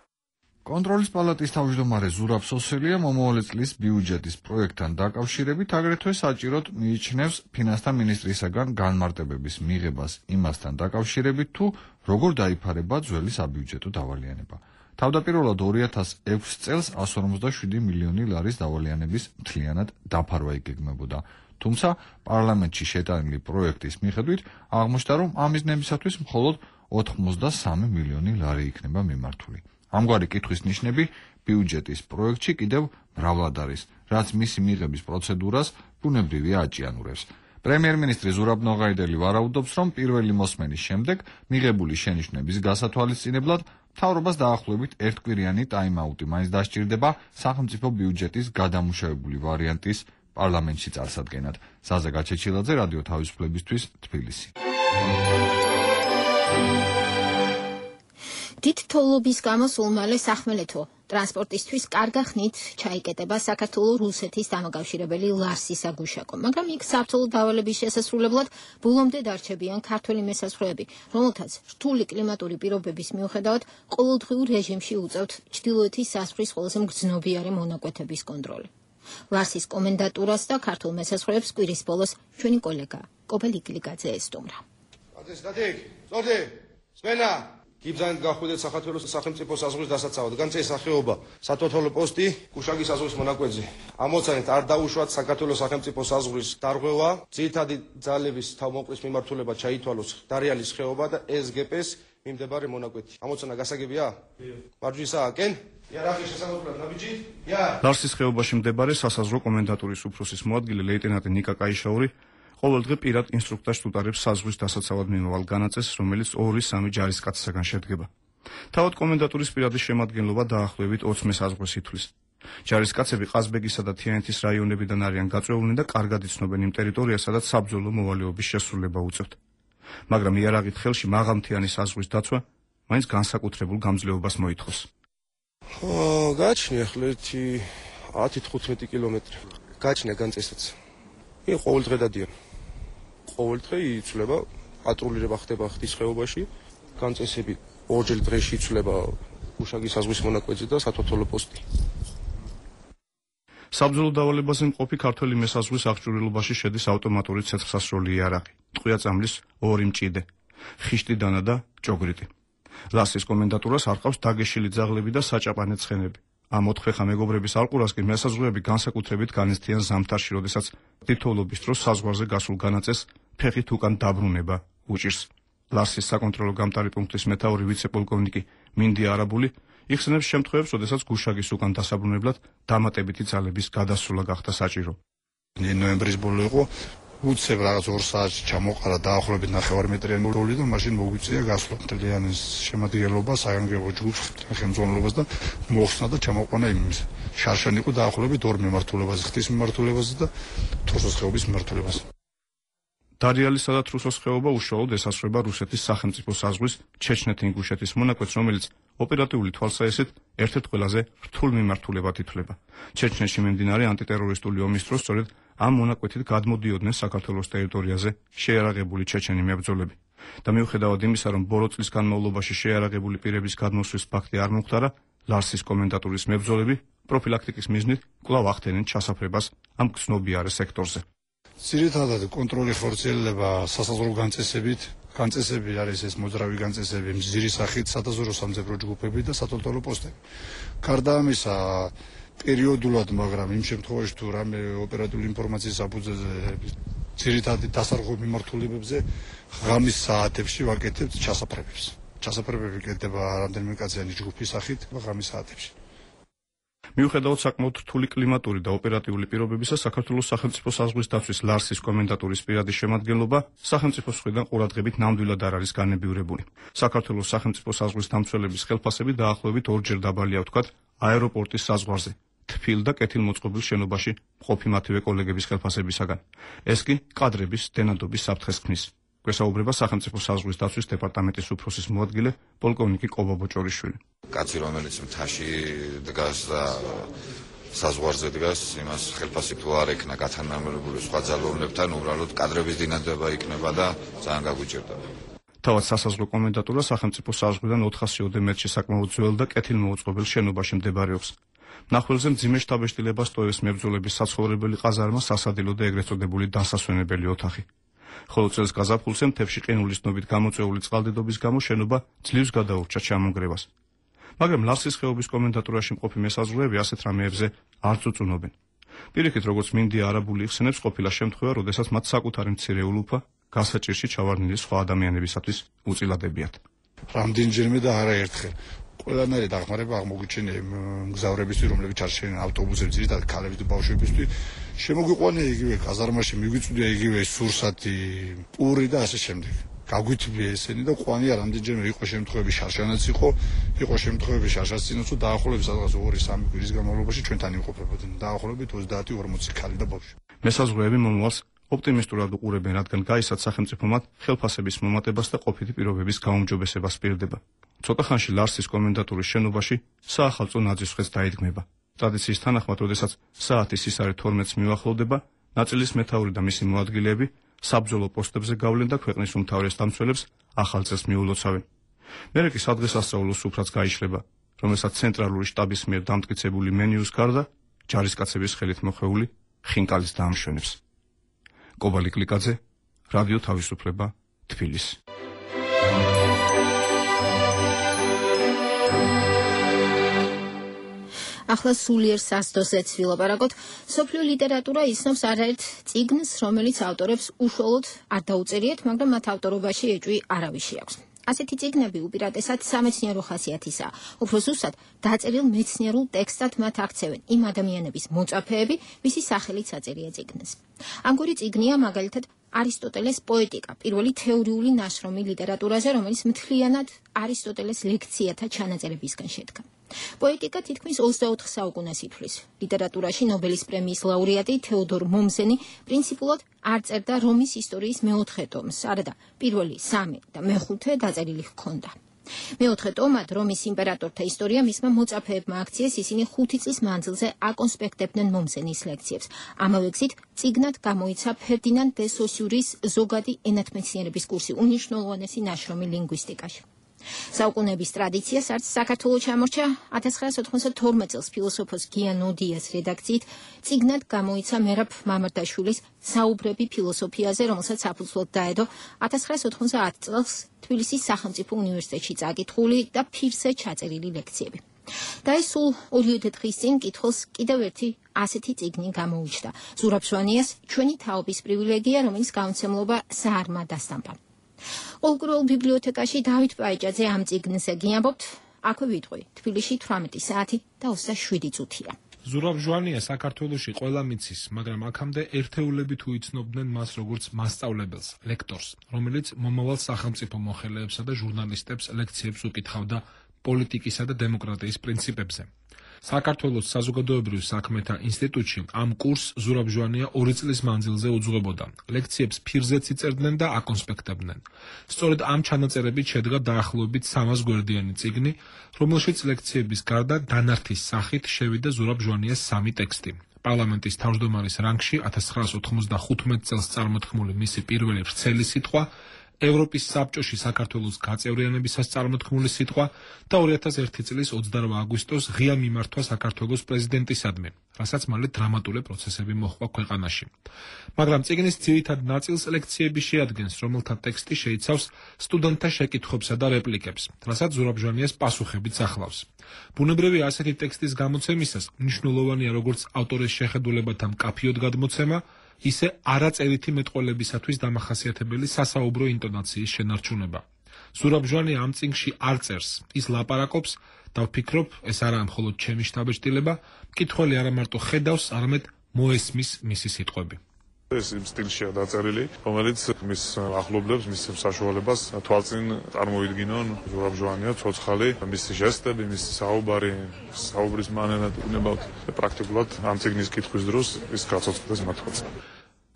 კონტროლის პალატის თავმჯდომარე ზურაბ სოსელია მომავალი წლის ბიუჯეტის პროექტთან დაკავშირებით აგრეთვე საჭიროდ მიიჩნევს ფინანსთა მინისტრისაგან განმარტებების მიღებას იმასთან დაკავშირებით, თუ როგორ დაიფარება ძველი საბიუჯეტო დავალიანება. თავდაპირველად 2006 წელს 157 მილიონი ლარის დავალიანების მთლიანად დაფარვა იგეგმებოდა. თუმცა პარლამენტში შეტანილი პროექტის მიხედვით აღმოჩნდა, რომ ამ მიზნებისათვის მხოლოდ 83 მილიონი ლარი იქნება მიმართული. ამგვარი კითხვის ნიშნები ბიუჯეტის პროექტში კიდევ მრავლად არის, რაც მისი მიღების პროცედურას ბუნებრივია აჭიანურებს. პრემიერ-მინისტრი ზურაბ ნოღაიდელი ვარაუდობს, რომ პირველი მოსმენის შემდეგ მიღებული შენიშვნების გასათვალისწინებლად მთავრობას დაახლოებით ერთკვირიანი ტაიმ-აუტი მაინც დასჭირდება სახელმწიფო ბიუჯეტის გადამუშავებული ვარიანტის პარლამენტში წარსადგენად. ზაზა გაჩეჩილაძე, რადიო თავისუფლებისთვის, თბილისი. დიდ თოვლობის გამო სულ მალე სახმელეთო ტრანსპორტისთვის კარგა ხნით ჩაიკეტება საქართველო-რუსეთის დამაკავშირებელი ლარსის საგუშაკო, მაგრამ იქ საბრძოლო დავალების შესასრულებლად ბოლომდე დარჩებიან ქართველი მესაზღვრეები, რომელთაც რთული კლიმატური პირობების მიუხედავად ყოველდღიურ რეჟიმში უწევთ ჩრდილოეთის საზღვრის ყველაზე მგრძნობიარე მონაკვეთების კონტროლი. ლარსის კომენდატურას და ქართულ მესაზღვრეებს კვირის ბოლოს ჩვენი კოლეგა კობელ იკლიკაძე ესტუმრა. გიბზანეთ გახვიდეთ საქართველოს სახელმწიფო საზღვრის დასაცავად. განწეს სახეობა სათვალთვალო პოსტი გუშაგის საზღვრის მონაკვეთზე. ამოცანით არ დაუშვათ საქართველოს სახელმწიფო საზღვრის დარღვევა, ძირითადი ძალების თავმოყრის მიმართულება ჩაითვალოს დარიალის ხეობა და SGP-ს მიმდებარე მონაკვეთი. ამოცანა გასაგებია? მარჯვნისაა, კენ? იარაღი შესაძლებლად ნაბიჯი? ლარსის ხეობაში მდებარე სასაზღვრო კომენდატურის უფროსის მოადგილე ლეიტენანტი ნიკა კაიშაური ყოველდღე პირად ინსტრუქტორს უტარებს საზღვრის დასაცავად მიმავალ განაწესს, რომელიც 2-3 ჯარისკაცისაგან შედგება. თავად კომენდატურის პირადი შემადგენლობა დაახლოებით 20 საზღვრს ითვლის. ჯარისკაცები ყაზბეგისა და თიანეთის რაიონებიდან არიან გაწვეულნი და კარგად იცნობენ იმ ტერიტორიას, სადაც საბრძოლო მოვალეობის შესრულება უწევთ. მაგრამ იარაღით ხელში მაღალმთიანი საზღვრის დაცვა მაინც განსაკუთრებულ გამძლეობას მოითხოვს. გააჩნია ახლა 10-15 კილომეტრი. გააჩნია განწესაც. ყოველდღე დადიან. ყოველდღე იცვლება პატრულირება ხდება ხდის ხეობაში, განწესები ორჯერ დღეში იცვლება გუშაგის საზღვრის მონაკვეთზე და სათვალთვალო პოსტი. საბრძოლო დავალებაზე მყოფი ქართველი მესაზღვრის აღჭურვილობაში შედის ავტომატური ცეცხლსასროლი იარაღი, ტყვია-წამლის 2 მჭიდე, ხიშტიდანა და ჭოგრიტი. ლარსის კომენდატურას არყავს დაგეშილი ძაღლები და საჭაპანე ცხენები. ამ 4 ხა მეგობრების ალყურას კი მესაზღვრეები განსაკუთრებით განიცდიან ზამთარში, როდესაც თითოეულობის დროს საზღვარზე გასულ განაწესს ფეხით უკან დაბრუნება უჭირს. ლარსის საკონტროლო გამტარი პუნქტის მეთაური ვიცე-პოლკოვნიკი მინდია არაბული იხსენებს შემთხვევებს, როდესაც გუშაგის უკან დასაბრუნებლად დამატებითი ძალების გადასვლა გახდა საჭირო. ნოემბრის ბოლო იყო, უცებ რაღაც 2 საათში ჩამოყარა დაახლოებით 9 მეტრიანი როლი და მაშინ მოგვიწია გასვლა მთლიანი შემადგენლობა, საანგებო ჯგუფს, ხელმძღვანელობას და მოხსნა და ჩამოყვანა იმ შარშანი იყო დაახლოებით 2 მიმართულებაზე, ხეთის მიმართულებაზე და თრუსოს ხეობის მიმართულებაზე. დარიალისა და თრუსოს ხეობა უშუალოდ ესაზღვრება რუსეთის სახელმწიფო საზღვრის ჩეჩნეთ-ინგუშეთის მონაკვეთს, რომელიც ოპერატიული თვალსაჩინით ერთ-ერთ ყველაზე რთულ მიმართულებად ითვლება. ჩეჩნეთში მიმდინარე ანტიტერორისტული ომის დროს სწორედ ამ მონაკვეთით გადმოდიოდნენ საქართველოს ტერიტორიაზე შეიარაღებული ჩეჩენი მებრძოლები. და მიუხედავად იმისა, რომ ბოლო წლის განმავლობაში შეიარაღებული პირების გადმოსვლის ფაქტი არ მომხდარა, ლარსის კომენდატურის მებრძოლები პროფილაქტიკის მიზნით კვლავ ახდენენ ჩასაფრებას ამ გრძნობიარე სექტორზე. ძირითადად კონტროლი ხორციელდება სასაზღვრო განწესები არის ეს მოძრავი განწესები, მზირი სახით სადაზვერო სამძებრო ჯგუფები და სათვალთვალო პოსტები. გარდა ამისა, პერიოდულად, მაგრამ იმ შემთხვევაში თუ რამე ოპერატიული ინფორმაციის საფუძველზე ძირითადად დასარღვევ მიმართულებებზე ღამის საათებში ვაკეთებთ ჩასაფრებებს. ჩასაფრებები კეთდება რამდენიმე კაციანი ჯგუფის სახით ღამის საათებში. მიუხედავად საკმაოდ რთული კლიმატური და ოპერატიული პირობებისა, საქართველოს სახელმწიფო საზღვრის დაცვის ლარსის კომენდატურის პირადი შემადგენლობა სახელმწიფოს მხრიდან ყურადღებით ნამდვილად არ არის განებივრებული. საქართველოს სახელმწიფო საზღვრის დამცველების ხელფასები დაახლოებით 2-ჯერ დაბალია ვთქვათ აეროპორტის საზღვარზე, თბილ და კეთილმოწყობილ შენობაში მყოფი მათივე კოლეგების ხელფასებისაგან. ეს კი კადრების დენადობის საფრთხეს ქმნის. გვესაუბრება სახელმწიფო საზღვრის დაცვის დეპარტამენტის უფროსის მოადგილე პოლკოვნიკი კობა ბოჭორიშვილი. კაცი, რომელიც მთაში დგას და საზღვარზე დგას, იმას ხელფასი თუ არ ექნა გათანამებული სხვა ძალოვნებთან, უბრალოდ კადრების დინადება იქნება და ძალიან გაგვიჭირდება. თავად სასაზღვრო კომენდატურა სახელმწიფო საზღვრიდან 400-ოდე მეტრში საკმაოდ ძველ და კეთილმოუწყობელ შენობაში მდებარეობს. მნახველზე მძიმე შთაბეჭდილება სტოების მებრძოლების საცხოვრებელი ყაზარმა, სასადილო და ეგრეთ წოდებული დასასვენებელი ოთახი. ხოლო წელს გაზაფხულზე მთებში ყინულის დნობით გამოწვეული წყალდიდობის გამო შენობა ძლივს გადაურჩა ჩამონგრევას. მაგრამ ლარსის ხეობის კომენდატურაში მყოფი მესაზღვრეები ასეთ რამეებზე არ წუწუნობენ. პირიქით, როგორც მინდია არაბული იხსენებს, ყოფილა შემთხვევა, როდესაც მათ საკუთარი მცირე ულუფა გასაჭირში ჩავარდნილი სხვა ადამიანებისათვის უწილადებიათ. რამდენჯერმე და არაერთხელ ყველანაირი დახმარება აღმოგვიჩენია მგზავრებისთვის, რომლებიც ჩარჩენენ ავტობუსებში, ძირითადად ქალებიც და ბავშვებისთვის. შემოგვიყვანია იგივე ყაზარმაში, მიგვიწვდია იგივე სურსათი, პური და ასე შემდეგ. გაგვითბია ესენი და ყვანია რამდენჯერმე იყო შემთხვევები შარშანაც იყო შემთხვევები შარშაცინაც დაახლოებით სადღაც 2-3 კვირის განმავლობაში ჩვენთან იმყოფებოდნენ. დაახლოებით 30-40 ქალი და ბავშვი. მესაზღვრეები მომავალს ოპტიმისტურად უყურებენ, რადგან გაიცათ სახელმწიფო მათ ხელფასების მომატებას და ყოფითი პირობების გაუმჯობესებას პირდება. ცოტა ხანში ლარსის კომენდატურის შენობაში საახალწლო ნაძვის დაიდგმება. ტრადიციის თანახმად, როდესაც საათის ისარი 12-ს მიუახლოვდება, ნაწილის მეთაური და მისი მოადგილეები საბრძოლო პოსტებზე გავლენ და ქვეყნის უმთავრეს დამცველებს ახალ წელს მიულოცავენ. მერე კი სადღესასწაულო სუფრაც გაიშლება, რომელსაც ცენტრალური შტაბის მიერ დამტკიცებული მენიუს გარდა ჯარისკაცების ხელით მოხეული ხინკალის დაამშვენებს. კობალი კლიკაძე, რადიო თავისუფლება, თბილისი. ახლა სულიერ სასტოზე ვილაპარაკოთ. სოფლიო ლიტერატურა იცნობს არაერთ წიგნს, რომელიც ავტორებს უშუალოდ არ დაუწერიათ, მაგრამ მათ ავტორობაში ეჭვი არავის შეაქვს. ასეთი წიგნები უპირატესად სამეცნიერო ხასიათისაა. უფრო ზუსტად, დაწერილ მეცნიერულ ტექსტად მათ აქცევენ იმ ადამიანების მოწაფეები, ვისი სახელით აწერია წიგნს. ამგვარი წიგნია მაგალითად არისტოტელეს პოეტიკა, პირველი თეორიული ნაშრომი ლიტერატურაზე, რომელიც მთლიანად არისტოტელეს ლექციათა ჩანაწერებისგან შედგა. პოეტიკა თითქმის 24 საუკუნეს ითვლის. ლიტერატურაში ნობელის პრემიის ლაურეატი თეოდორ მომზენი პრინციპულად არ წერდა რომის ისტორიის მეოთხე ტომს, არადა პირველი 3 და მე-5 დაწერილი ჰქონდა. მეოთხე ტომად რომის იმპერატორთა ისტორია მისმა მოწაფეებმა აქციეს, ისინი 5 წლის მანძილზე აკონსპექტებდნენ მომზენის ლექციებს. ამავე გზით წიგნად გამოიცა ფერდინანდ დე სოსიურის ზოგადი ენათმეცნიერების კურსი, უნიშნულოვანესი ნაშრომი ლინგვისტიკაში. საუკუნეების ტრადიციას არც საქართველოს ჩამორჩა 1992 წელს ფილოსოფოს გიან ოდიას რედაქციით წიგნად გამოიცა მერაბ მამარდაშვილის საუბრები ფილოსოფიაზე, რომელსაც საფუძვლად დაედო 1990 წელს თბილისის სახელმწიფო უნივერსიტეტში წაკითხული და ფირზე ჩაწერილი ლექციები. და ეს სულ 2 დღის წინ კითხულს კიდევ ერთი ასეთი წიგნი გამოუჩნდა. ზურაბ ჟვანიას ჩვენი თაობის პრივილეგია, რომელიც გამოცემლობა საარმა დასტამპა. ოლკროულ ბიბლიოთეკაში დავით პაიჭაძე ამ წიგნზე გიამბობთ, აქვე ვიტყვი, თბილისში 18 საათი და 27 წუთია. ზურაბ ჟვანია საქართველოში ყველა მიცის, მაგრამ აქამდე ერთეულებით უიცნობდნენ მას როგორც მასწავლებელს, ლექტორს, რომელიც მომავალ სახელმწიფო მოხელეებსა და ჟურნალისტებს ლექციებს უკითხავდა პოლიტიკისა და დემოკრატიის პრინციპებზე. საქართველოს საზოგადოებრივ საქმეთა ინსტიტუტში ამ კურსს ზურაბ ჟვანია 2 წლის მანძილზე უძღვებოდა. ლექციებს ფირზეც იწერდნენ და აკონსპექტებდნენ. სწორედ ამ ჩანაწერებით შედგა დაახლოებით 300 გვერდიანი წიგნი, რომელშიც ლექციების გარდა დანართის სახით შევიდა ზურაბ ჟვანიას 3 ტექსტი. პარლამენტის თავმჯდომარის რანგში 1995 წელს წარმოთქმული მისი პირველი ვრცელი სიტყვა, ევროპის საბჭოში საქართველოს გაწევრიანებისას წარმოთქმული სიტყვა და 2001 წლის 28 აგვისტოს ღია მიმართვა საქართველოს პრეზიდენტისადმი, რასაც მალე დრამატული პროცესები მოჰყვა ქვეყანაში. მაგრამ წიგნის ძირითად ნაწილს ლექციები შეადგენს, რომელთა ტექსტი შეიცავს სტუდენტთა შეკითხვებსა და რეპლიკებს, რასაც ზურაბ ჟვანიას პასუხებიც ახლავს. ბუნებრივია ასეთი ტექსტის გამოცემისას მნიშვნელოვანია როგორც ავტორის შეხედულებათა მკაფიოდ გადმოცემა, ისე არაწერითი მეტყველებისათვის დამახასიათებელი სასაუბრო ინტონაციის შენარჩუნება. ზურაბ ჟვანია ამ წიგნში არ წერს, ის ლაპარაკობს და ვფიქრობ, ეს არაა მხოლოდ ჩემი შთაბეჭდილება, მკითხველი არა მარტო ხედავს, არამედ მოესმის მისი სიტყვები. ეს იმ სტილშია დაწერილი, რომელიც მის ახლობლებს, მის საშუალებას თვალწინ წარმოიდგინონ ზურაბ ჟვანია, ცოცხალი, მისი ჟესტები, მისი საუბრის მანერა უნებავთ პრაქტიკულად ამ წიგნის კითხვის დროს ის გაცოცხლდეს მათაც.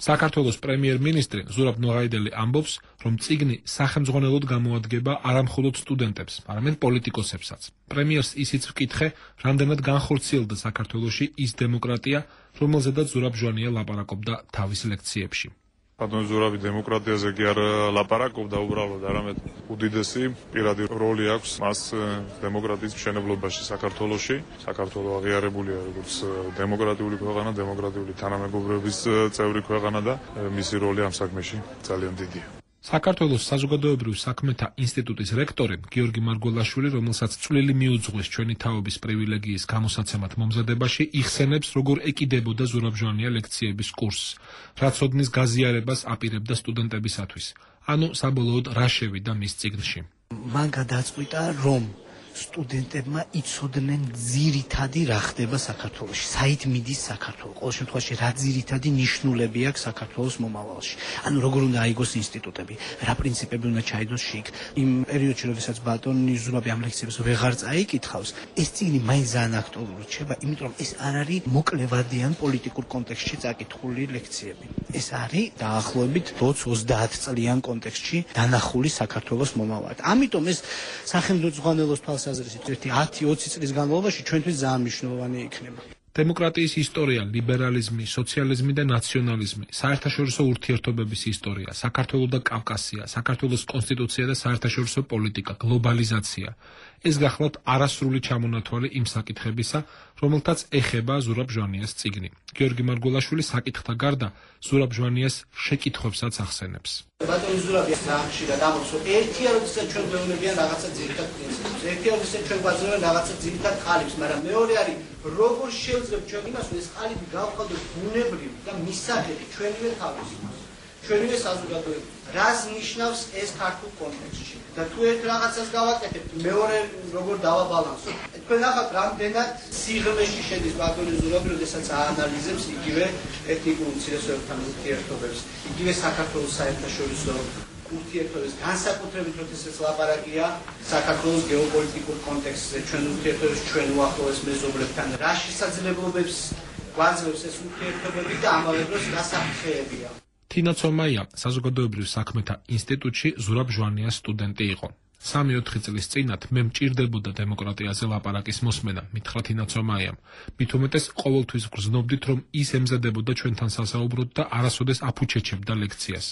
საქართველოს პრემიერ-მინისტრი ზურაბ ნოღაიდელი ამბობს, რომ წიგნი სახელმძღვანელოდ გამოადგება არა მხოლოდ სტუდენტებს, არამედ პოლიტიკოსებსაც. პრემიერს ისიც ვკითხე, რამდენად განხორციელდა საქართველოში ის დემოკრატია, რომელზედაც ზურაბ ჟვანია ლაპარაკობდა თავის ლექციებში. ბატონი ზურაბი დემოკრატიაზე კი არ ლაპარაკობდა უბრალოდ, არამედ უდიდესი პირადი როლი აქვს მას დემოკრატიის მშენებლობაში საქართველოში. საქართველო აღიარებულია როგორც დემოკრატიული ქვეყანა, დემოკრატიული თანამეგობრობის წევრი ქვეყანა და მისი როლი ამ საქმეში ძალიან დიდია. საქართველოს საზოგადოებრივ საქმეთა ინსტიტუტის რექტორი გიორგი მარგველაშვილი, რომელსაც წვლილი მიუძღვის ჩვენი თაობის პრივილეგიის გამოსაცემად მომზადებაში, იხსენებს, როგორ ეკიდებოდა ზურაბ-ჟვანია ლექციების კურსს, რაც ოდნის გაზიარებას აპირებდა სტუდენტებისათვის. ანუ საბოლოოდ რა შევიდა მის წიგნში. მან გადაწყვიტა, რომ სტუდენტებმა იცოდნენ ძირითადი რა ხდება საქართველოში, საით მიდის საქართველო, ყოველ შემთხვევაში რა ძირითადი ნიშნულები აქვს საქართველოს მომავალში. ანუ როგორ უნდა აიგოს ინსტიტუტები, რა პრინციპები უნდა ჩაიდოს შიგ. იმ პერიოდში, როდესაც ბატონი ზურაბი ამ ლექციებს ვეღარ წაიკითხავს, ეს წიგნი მაინც ძალიან აქტუალური რჩება, იმიტომ რომ ეს არ არის მოკლევადიან პოლიტიკურ კონტექსტში წაკითხული ლექციები. ეს არის დაახლოებით 20 წლიან კონტექსტში დანახული საქართველოს მომავალი. ამიტომ ეს სახელმწიფო თვალსაზრისით 10-20 წლის განმავლობაში ჩვენთვის ძალიან მნიშვნელოვანი იქნება. დემოკრატიის ისტორია, ლიბერალიზმი, სოციალიზმი და ნაციონალიზმი, საერთაშორისო ურთიერთობების ისტორია, საქართველო და კავკასია, საქართველოს კონსტიტუცია და საერთაშორისო პოლიტიკა, გლობალიზაცია. ეს გახლავთ არასრული ჩამონათვალი იმ საკითხებისა, რომელთაც ეხება ზურაბ-ჟვანიას წიგნი. გიორგი მარგველაშვილი საკითხთა გარდა ზურაბ-ჟვანიას შეკითხვებსაც ახსენებს. ბატონი ზურაბი ხშირად ამბობს, რომ ერთია როდესაც ჩვენ გვეუბნებიან რაღაცა ძირითად პრინციპებს, ერთია როდესაც ჩვენ გვაძლევენ რაღაცა ძირითად ყალიბს, მაგრამ მეორე არის როგორ შევძლებთ ჩვენ იმას, რომ ეს ყალიბი გავხადოთ ბუნებრივი და მისაღები ჩვენივე თავისუფლებას, ჩვენივე საზოგადოებაში. რას ნიშნავს ეს ქართულ კონტექსტში? და თუ ერთ რაღაცას გავაკეთებთ, მეორე როგორ დავაბალანსოთ? თქვენ ნახავთ, რამდენად სიღრმეში შედის ბატონი ზურაბი, როდესაც აანალიზებს იგივე ეთნიკურ უმცირესობებთან ურთიერთობებს, იგივე საქართველოს საერთაშორისო ურთიერთობებს, განსაკუთრებით როდესაც ლაპარაკია საქართველოს გეოპოლიტიკურ კონტექსტზე, ჩვენ ურთიერთობებს ჩვენ უახლოეს მეზობლებთან, რა შესაძლებლობებს გვაძლევს ეს ურთიერთობები და ამავე დროს რა საფრთხეებია. თინა ცომაია საზოგადოებრივ საქმეთა ინსტიტუტში ზურაბ-ჟვანიას სტუდენტი იყო. 3-4 წლის წინათ მე მჭირდებოდა დემოკრატიაზე ლაპარაკის მოსმენა, მითხრა თინა ცომაიამ. მით უმეტეს ყოველთვის გრძნობდით, რომ ის ემზადებოდა ჩვენთან სასაუბროდ და არასოდეს აფუჩეჩებდა ლექციას.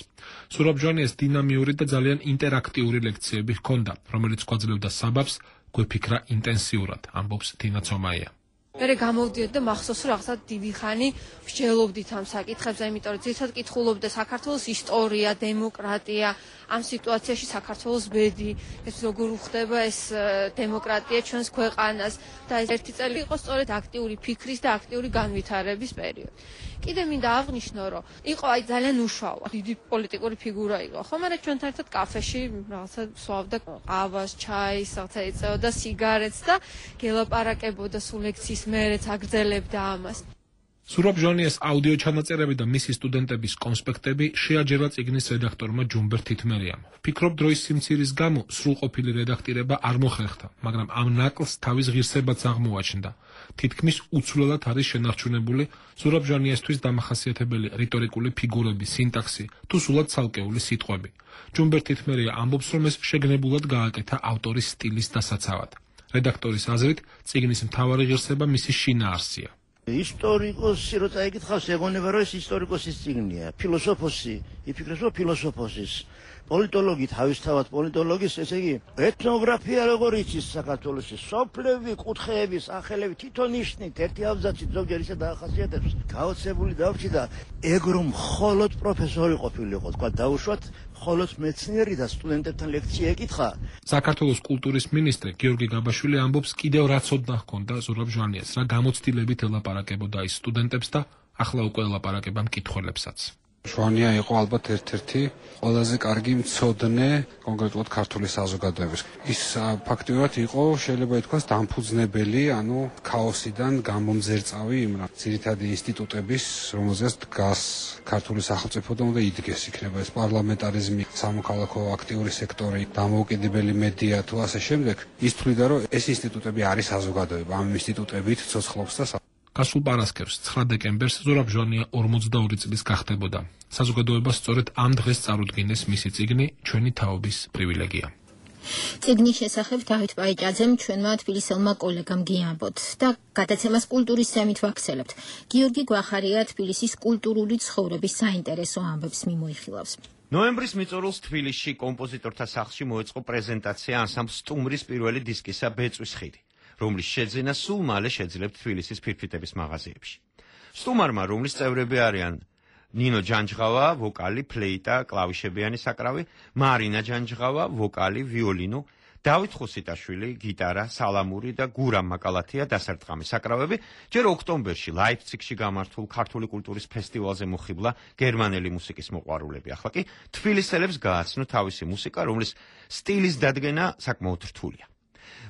ზურაბ-ჟვანიას დინამიური და ძალიან ინტერაქტიული ლექციები ჰქონდა, რომელიც გვაძლევდა საბაბს გვეფიქრა ინტენსიურად, ამბობს თინა ცომაია. მე გამოვდიოდ და მახსოვს რომ რაღაცა დიდი ხანი ვსჯელობდით ამ საკითხებზე, იმიტომ რომ ძირითადად კითხულობდა საქართველოს ისტორია, დემოკრატია, ამ სიტუაციაში საქართველოს ბედი, ეს როგორ უხდება ეს დემოკრატია ჩვენს ქვეყანას და ეს ერთი წელი იყო სწორედ აქტიური ფიქრის და აქტიური განვითარების პერიოდი. კიდე მინდა აღვნიშნო, რომ იყო აი ძალიან უშუალო, დიდი პოლიტიკური ფიგურა იყო, ხო, მაგრამ ჩვენთან ერთად კაფეში რაღაცა სვავდა ყავას, ჩაის, რაღაცა ეწეოდა სიგარეტს და გელაპარაკებოდა სულ ლექციის მერეც აგრძელებდა ამას. ზურაბ-ჟვანიას აუდიო ჩანაწერები და მისი სტუდენტების კონსპექტები შეაჯერა წიგნის რედაქტორმა ჯუმბერ თითმერიამ. ვფიქრობ, დროის სიმცირის გამო სრულყოფილი რედაქტირება არ მოხერხდა, მაგრამ ამ ნაკლს თავის ღირსებაც აღმოაჩნდა. თითქმის უცვლელად არის შენარჩუნებული ზურაბ-ჟვანიასთვის დამახასიათებელი რიტორიკული ფიგურები, სინტაქსი თუ სულად ცალკეული სიტყვები. ჯუმბერ თითმერია ამბობს, რომ ეს შეგნებულად გააკეთა ავტორის სტილის დასაცავად. რედაქტორის აზრით, წიგნის მთავარი ღირსება მისი შინაარსია. ისტორიკოსი რო წაიკითხავს, ეგონება რომ ეს ისტორიკოსის წიგნია, ფილოსოფოსი, იფიქრებს რომ ფილოსოფოსის, პოლიტოლოგი თავისთავად პოლიტოლოგის, ესე იგი, ეთნოგრაფია როგორ იცის საქართველოში, სოფლები, კუთხეები, სახელები, თვითონ ნიშნით, ერთი აბზაცით ზოგჯერ ისე დაახასიათებს, გაოცებული დავრჩი და ეგ რომ მხოლოდ პროფესორი ყოფილიყო, თქვა დაუშვათ, მხოლოდ მეცნიერი და სტუდენტებთან ლექცია ეკითხა. საქართველოს კულტურის მინისტრი გიორგი გაბაშვილი ამბობს, კიდევ რა ცოდნა ჰქონდა ზურაბ-ჟვანიას, რა გამოცდილებით ელაპარაკებოდა ის სტუდენტებს და ახლა უკვე ელაპარაკება მკითხველებსაც. ჟვანია იყო ალბათ ერთ-ერთი ყველაზე კარგი მცოდნე კონკრეტულად ქართული საზოგადოების. ის ფაქტიურად იყო, შეიძლება ითქვას, დამფუძნებელი, ანუ ქაოსიდან გამომძერწავი იმ ძირითადი ინსტიტუტების, რომელზეც დგას ქართული სახელმწიფო და უნდა იდგეს, იქნება ეს პარლამენტარიზმი, სამოქალაქო აქტიური სექტორი, დამოუკიდებელი მედია თუ ასე შემდეგ. ის თვლიდა, რომ ეს ინსტიტუტები არის საზოგადოება, ამ ინსტიტუტებით ცოცხლობს და გასულ პარასკევს 9 დეკემბერს ზურაბ-ჟვანია 42 წლის გახდებოდა. საზოგადოებას სწორედ ამ დღეს წარუდგინეს მისი წიგნი ჩვენი თაობის პრივილეგია. წიგნის შესახებ დავით პაიჭაძემ ჩვენმა თბილისელმა კოლეგამ გიამბოთ და გადაცემას კულტურის ცემით ვაქცელებთ. გიორგი გვახარია თბილისის კულტურული ცხოვრების საინტერესო ამბებს მიმოიხილავს. ნოემბრის მიწურულს თბილისში კომპოზიტორთა სახლში მოეწყო პრეზენტაცია ანსამბლ სტუმრის პირველი დისკისა ბეწვის ხიდი, რომლის შეძენა სულ მალე შეძლებთ თბილისის ფირფიტების მაღაზიებში. სტუმარმა, რომლის წევრები არიან ნინო ჯანჯღავა, ვოკალი, ფლეიტა, კლავიშებიანი საკრავი, მარინა ჯანჯღავა, ვოკალი, ვიოლინო, დავით ხუსიტაშვილი, გიტარა, სალამური და გურამ მაკალათია დასარტყამი საკრავები, ჯერ ოქტომბერში ლაიფციგში გამართულ ქართული კულტურის ფესტივალზე მოხიბლა გერმანელი მუსიკის მოყვარულები. ახლა კი თბილისელებს გააცნო თავისი მუსიკა, რომლის სტილის დადგენა საკმაოდ რთულია.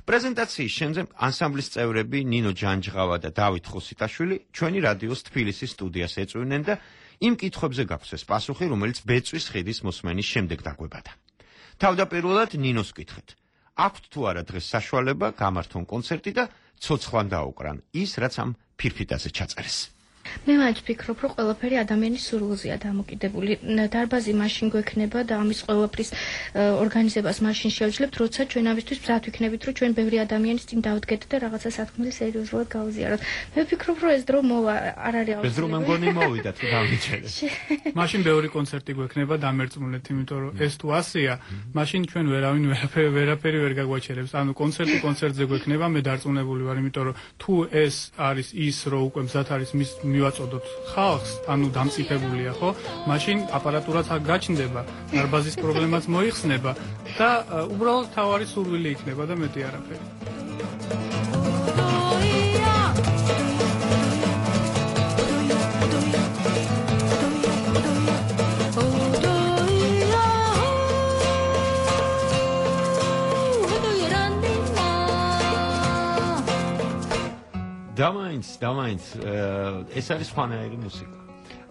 პრეზენტაციის შემდეგ ანსამბლის წევრები ნინო ჯანჯღავა და დავით ხუსიტაშვილი ჩვენი რადიოს თბილისის სტუდიას ეწვივნენ და იმ კითხვებზე გაგვცეს პასუხი, რომელიც ბეწვის ხიდის მოსმენის შემდეგ დაგვებადა. თავდაპირველად ნინოს კითხეთ. აქვთ თუ არა დღეს საშუალება გამართონ კონცერტი და ცოცხლად დაუკრან ის, რაც ამ ფირფიტაზე ჩაწერეს. მე მაინც ვფიქრობ, რომ ყველაფერი ადამიანის სურვილზეა დამოკიდებული. დარბაზი მაშინ გვექნება და ამის ყველაფრის ორგანიზებას მაშინ შევძლებთ, როცა ჩვენ ამისთვის მზად ვიქნებით, რომ ჩვენ ბევრი ადამიანის წინ დავდგეთ და რაღაცა სათქმელი სერიოზულად გავზიაროთ. მე ვფიქრობ, რომ ეს დრო მოვა, არ არის ეს დრო მე მგონი მოვიდა თუ დავიჩერეთ. მაშინ ბევრი კონცერტი გვექნება დამერწმუნეთ, იმიტომ რომ ეს თუ ასია, მაშინ ჩვენ ვერავინ ვერაფერი ვერ გაგვაჩერებს. ანუ კონცერტზე გვექნება, მე დარწმუნებული ვარ, იმიტომ რომ თუ ეს არის ის, რომ უკვე მზად არის მის მივაწოდოთ ხალხს, ანუ დამწიფებულია, ხო? მაშინ აპარატურაც გაჩნდება, დარბაზის პრობლემაც მოიხსნება და უბრალოდ თავარი სურვილი იქნება და მეტი არაფერი. დამაინც ეს არის სხვანაირი მუსიკა.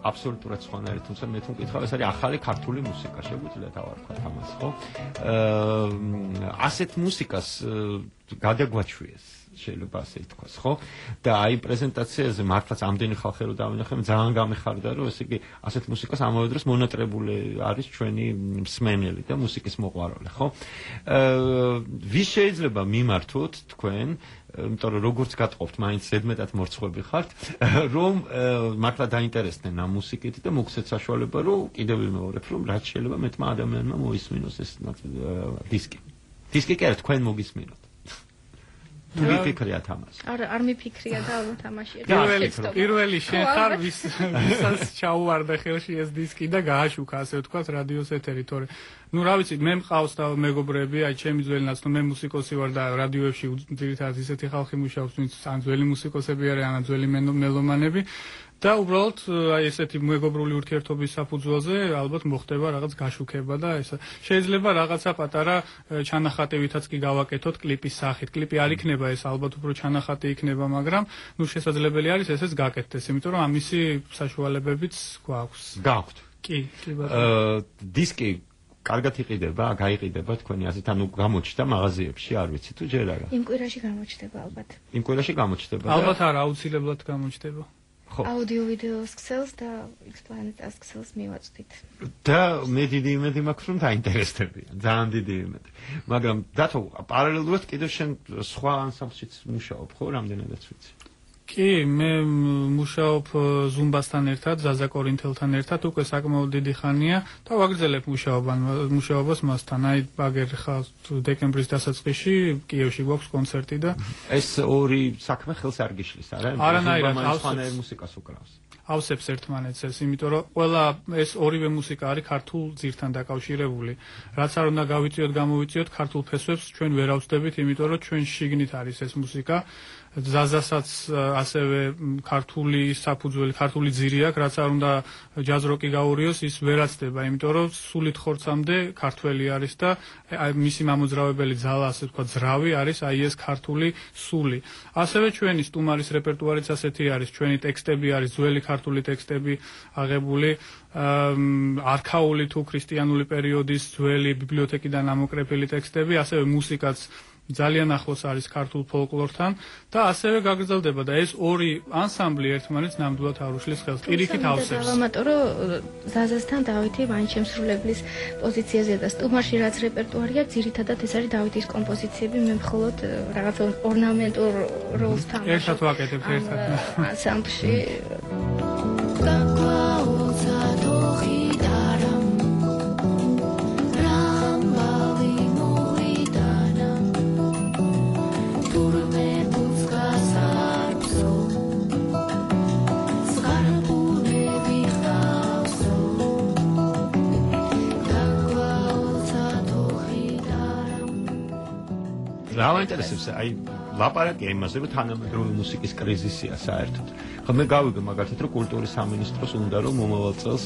აბსოლუტურად სხვანაირი, თუმცა მე თუ მკითხავ, ეს არის ახალი ქართული მუსიკა, შეგვიძლია დავარქვათ ამას, ხო? ასეთ მუსიკას გადაგვაჩვიეს, შეიძლება ასე ითქვას, ხო? და აი პრეზენტაციაზე მართლაც ამდენი ხალხი რო დავინახე, ძალიან გამეხარდა, რომ ესე იგი ასეთ მუსიკას ამავე დროს მონატრებული არის ჩვენი მსმენელი და მუსიკის მოყვარული, ხო? ვის შეიძლება მიმართოთ თქვენ იმიტომ რომ როგორც გატყობთ, მაინც ზედმეტად მორცხვები ხართ, რომ მართლა დაინტერესდნენ ამ მუსიკით და მოგცეთ საშუალება, რომ კიდევ ვიმეორებ, რომ რაც შეიძლება მეტმა ადამიანმა მოისმინოს ეს დისკი. დისკი კი არა, თქვენ მოგისმინოთ. თუ მიფიქრიათ ამას. არ მიფიქრია და ალბათ ამაში. პირველი შენ ხარ, ვისაც ჩაუვარდა ხელში ეს დისკი და გააშუქა, ასე ვთქვათ, რადიოს ეთერი, თორე ну, რა ვიცი, მე მყავს და მეგობრები, აი ჩემი ძველი ნაცნო, მე მუსიკოსი ვარ და რადიოებში ძირითადად ისეთი ხალხი მუშაობს, ვინც ან ძველი მუსიკოსები არიან, ან ძველი მელომანები და უბრალოდ აი ესეთი მეგობრული ურთიერთობის საფუძველზე ალბათ მოხდება რაღაც გაშუქება და ეს შეიძლება რაღაცა პატარა ჩანახატებითაც კი გავაკეთოთ კლიპის სახით. კლიპი არ იქნება ეს ალბათ უფრო ჩანახატი იქნება, მაგრამ ну შესაძლებელი არის ესეც გაკეთდეს, იმიტომ რომ ამისი საშუალებებიც გვაქვს. გაქვთ. კი, დისკი კარგად იყიდება, გაიყიდება თქვენი აზრით, ანუ გამოჩნდა მაღაზიებში, არ ვიცი თუ ჯერ არა. იმ კვირაში გამოჩნდება ალბათ. იმ კვირაში გამოჩნდება. ალბათ არა, აუცილებლად გამოჩნდება. ხო. აუდიო ვიდეოს ქსელს და ექსპლანეტას ქსელს მივაწვდით. და მე დიდი იმედი მაქვს, რომ დაინტერესდებიან, ძალიან დიდი იმედი. მაგრამ დათო, პარალელურად კიდევ შენ სხვა ანსამბლშიც მუშაობ, ხო, რამდენადაც ვიცი. კი, მე მუშაობ ზუმბასთან ერთად, ზაზა კორინთელთან ერთად, უკვე საკმაოდ დიდი ხანია და ვაგრძელებ მუშაობას მასთან. აი, ბაგერ ხალ დეკემბრის დასაწყისში კიევში გვაქვს კონცერტი და ეს ორი საქმე ხელს არ გიშლის, არა? არანაირად, სხვანაირ მუსიკას უკრავს. ავსებს ერთმანეთს ეს, იმიტომ რომ ყველა ეს ორივე მუსიკა არის ქართულ ძირთან დაკავშირებული. რაც არ უნდა გავიწიოთ, გამოვიწიოთ ქართულ ფესვებს ჩვენ ვერ ავსდებით, იმიტომ რომ ჩვენ შიგნით არის ეს მუსიკა. ზაზასაც ასევე ქართული საფუძველი, ქართული ძირი აქვს, რაც არ უნდა ჯაზ როკი გაურიოს, ის ვერ აცდება, იმიტომ რომ სულით ხორცამდე ქართველი არის და მისი მამოძრავებელი ძალა, ასე ვთქვათ, ძრავი არის აი ეს ქართული სული. ასევე ჩვენი სტუმარის რეპერტუარიც ასეთი არის, ჩვენი ტექსტები არის ძველი ქართული ტექსტები აღებული, არქაული თუ ქრისტიანული პერიოდის ძველი ბიბლიოთეკიდან ამოკრეფილი ტექსტები, ასევე მუსიკაც ძალიან ახლოს არის ქართულ ფოლკლორთან და ასევე გაგრძელდება და ეს ორი ანსამბლი ერთმანეთს ნამდვილად არ უშლის ხელს. პირიქით ავსებს. დავამატო, რომ ზაზასთან დავითი ვანჩემსრულებლის პოზიციაზე და სტუმარში რაც რეპერტუარია, ძირითადად ეს არის დავითის კომპოზიციები, მე მხოლოდ რაღაც ორნამენტურ როლს თამაშობ. ერთად ვაკეთებ ერთად. ანსამბლში რა მაინტერესებს აი ლაპარაკია იმაზე რომ თანამედროვე მუსიკის კრიზისია საერთოდ. ხო მე გავიგე მაგალითად რომ კულტურის სამინისტროს უნდა რომ მომავალ წელს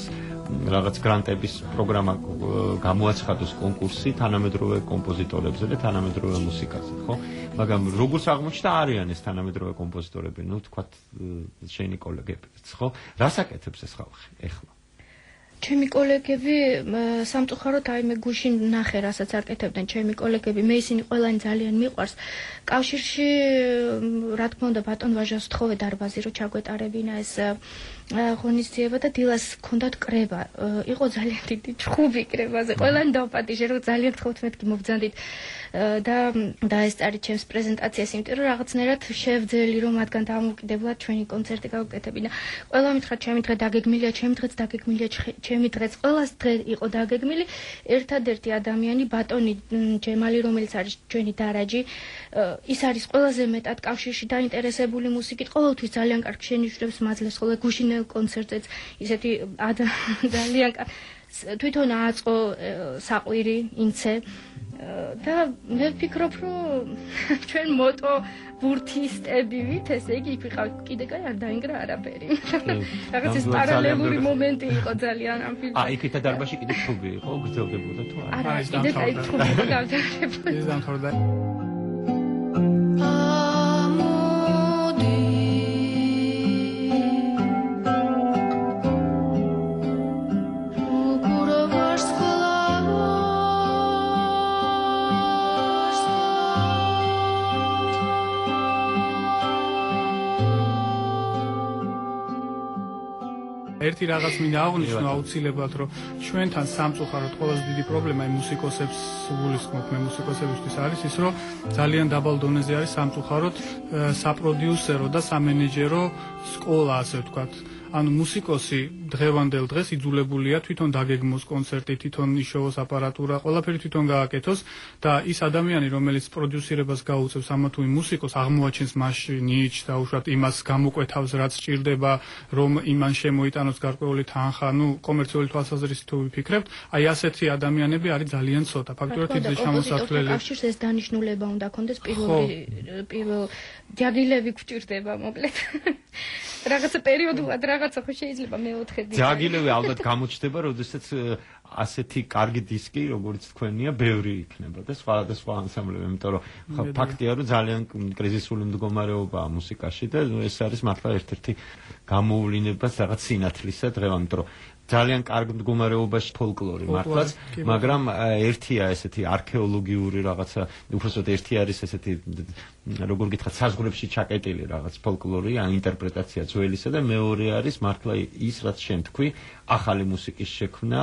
რაღაც გრანტების პროგრამა გამოაცხადოს კონკურსი თანამედროვე კომპოზიტორებზე და თანამედროვე მუსიკაზე, ხო? მაგრამ როგორც აღმოჩნდა არიან ეს თანამედროვე კომპოზიტორები, ნუ თქვათ შენი კოლეგებიც, ხო? რას აკეთებს ეს ხალხი ეხლა? ჩემი კოლეგები სამწუხაროდ აი მე გუშინ ნახე რასაც აკეთებდნენ ჩემი კოლეგები მე ისინი ყველანი ძალიან მიყვარს კავშირში რა თქმა უნდა ბატონ ვაჟას თხოვე დარბაზი რომ ჩაგვეტარებინა ეს ღონისძიება და დილას ჰქონდათ კრება იყო ძალიან დიდი ჩხუბი კრებაზე ყველანი დავპატიჟე რომ ძალიან გთხოვთ მეთქი მოგძანდით და ეს არის ჩემს პრეზენტაციას იმიტომ რომ რაღაცნაირად შევძელი რომ მათგან დამოუკიდებლად ჩვენი კონცერტი გავუკეთებინა ყველა მითხრა ჩემი დღე დაგეგმილია ჩემი დღეც დაგეგმილია ჩემი დღეც ყველას დღე იყო დაგეგმილი ერთადერთი ადამიანი ბატონი ჯემალი რომელიც არის ჩვენი დარაჯი ის არის ყველაზე მეტად კავშირში დაინტერესებული მუსიკით ყოველთვის ძალიან კარგ შენიშვნებს მაძლევს ხოლმე გუშინელ კონცერტზეც ისეთი ძალიან თვითონ აწყო საყვირი ინცე და მე ვფიქრობ რომ ჩვენ მოტო ბურთისტები ვით ესე იგი იქ ვიყავით კიდე კაი არ დაინგრა არაფერი რაღაც ეს პარალელური მომენტი იყო ძალიან ამ ფილმში იქით დარბაზში კიდე ჩხუბი იყო გრძელდებოდა თუ არა კიდე კაი ჩხუბი იყო გავდარებული ეს დამთავრდა ერთი რაღაც მინდა აღვნიშნო აუცილებლად რომ ჩვენთან სამწუხაროდ ყველაზე დიდი პრობლემა მუსიკოსებს გულისხმობ მე მუსიკოსებისთვის არის ის რომ ძალიან დაბალ დონეზე არის სამწუხაროდ საპროდიუსერო და სამენეჯერო სკოლა ასე ვთქვათ ანუ მუსიკოსი დღევანდელ დღეს იძულებულია თვითონ დაგეგმოს კონცერტი, თვითონ იშოვოს აპარატურა, ყველაფერი თვითონ გააკეთოს და ის ადამიანი, რომელიც პროდიუსირებას გაუწევს ამა თუ იმ მუსიკოს, აღმოაჩენს მასში ნიჩ და უშუალოდ იმას გამოკვეთავს, რაც სჭირდება, რომ იმან შემოიტანოს გარკვეული თანხა, ну, კომერციული თვალსაზრისით თუ ვიფიქრებთ, აი ასეთი ადამიანები არის ძალიან ცოტა. ფაქტობრივად ის შემოსავლელი. კავშირს ეს დანიშნულება უნდა ქონდეს პირველ ჯაგილები გვჭირდება მოკლედ. რაღაცა პერიოდულად რაღაცა ხო შეიძლება მეოთხე დი. ჯაგილები ალბათ გამოჩნდება, როდესაც ასეთი კარგი დისკი, როგორც თქვენია, ბევრი იქნება და სხვა ანსამბლები, იმიტომ რომ ფაქტია, რომ ძალიან კრიზისული მდგომარეობაა მუსიკაში და ეს არის მართლა ერთ-ერთი გამოუვლინება რაღაც სინათლისა დღევანდელ, იმიტომ რომ ძალიან კარგ მდგომარეობაში ფოლკლორი მართლაც, მაგრამ ერთია ესეთი არქეოლოგიური რაღაცა, უბრალოდ ერთი არის ესეთი როგორ გითხრათ, საზღვრებში ჩაკეტილი რაღაც ფოლკლორი, ან ინტერპრეტაცია ძველისა და მეორე არის მართლა ის, რაც შენ თქვი, ახალი მუსიკის შექმნა,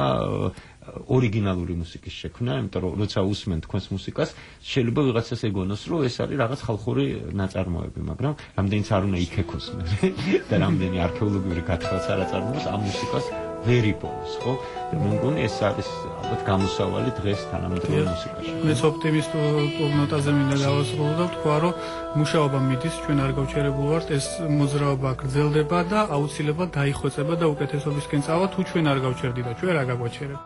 ორიგინალური მუსიკის შექმნა, იმიტომ რომ როცა უსმენ თქვენს მუსიკას, შეიძლება ვიღაცას ეგონოს, რომ ეს არის რაღაც ხალხური ნაწარმოები, მაგრამ რამდენიც არ უნდა იქექოს და რამდენი არქეოლოგიური გათხრაც არ აწარმოოს ამ მუსიკას ვერ იპოვოს, ხო? და მე მგონი ეს არის ალბათ გამოსავალი დღეს თანამედროვე მუსიკაში. მეც ოპტიმისტურ ნოტაზე მინდა დავასრულო და ვთქვა, რომ მუშაობა მიდის, ჩვენ არ გავჩერებულ ვართ, ეს მოძრაობა გრძელდება და აუცილებლად დაიხვეწება და უკეთესობისკენ წავა, თუ ჩვენ არ გავჩერდით და ჩვენ რა გაგვაჩერებ.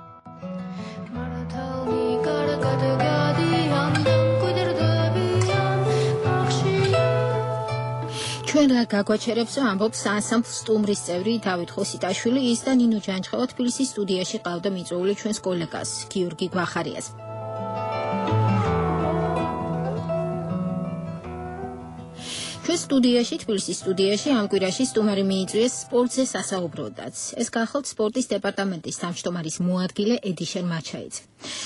ჩვენ რა გაგვაჩერებს ამბობს ანსამბლ სტუმრის წევრი დავით ხოსიტაშვილი ის და ნინო ჯანჯღევა თბილისის სტუდიაში ყავდა მიწვეული ჩვენს კოლეგას გიორგი გვახარიას ჩვენ სტუდიაში, თბილისის სტუდიაში ამ კვირაში სტუმარი მიიწვიეს სპორტზე სასაუბროდაც. ეს გახლავთ სპორტის დეპარტამენტის თავმჯდომარის მოადგილე ედიშენ მაჩაიძე.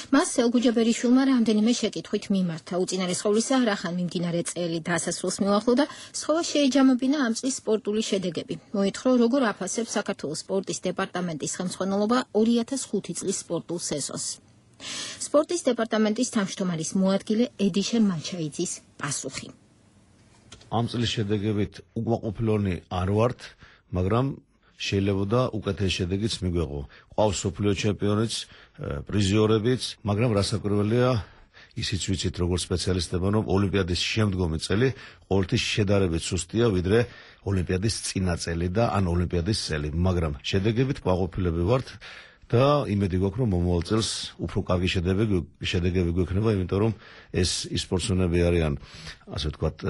მას სელგუჯაბერიშვილმა რამდენიმე შეკითხვით მიმართა. უწინარესყოვლისა, რახან მიმდინარე წელი დასასრულს მიუახლოვდა, სთხოვა შეეჯამებინა ამ წლის სპორტული შედეგები. მოითხრა, როგორ აფასებს საქართველოს სპორტის დეპარტამენტის ხელმძღვანელობა 2005 წლის სპორტულ სეზონს. სპორტის დეპარტამენტის თავმჯდომარის მოადგილე ედიშენ მაჩაიძის პასუხი. ამ წლის შედეგებით უკმაყოფილონი არ ვართ, მაგრამ შეიძლება უკეთეს შედეგიც მიგვეღო. ყავს სოფლიო ჩემპიონიც, პრიზიორებიც, მაგრამ რასაკვირველია, ისიც ვიცით როგორც სპეციალისტებმა, რომ ოლიმპიადის შემდგომი წელი ყოველთვის შედარებით სუსტია, ვიდრე ოლიმპიადის წინა წელი და ან ოლიმპიადის წელი, მაგრამ შედეგებით კმაყოფილები ვართ. და იმედი გვაქვს, რომ მომავალ წელს უფრო კარგი შედეგები გვექნება, იმიტომ რომ ეს სპორტსმენები არიან, ასე ვთქვათ,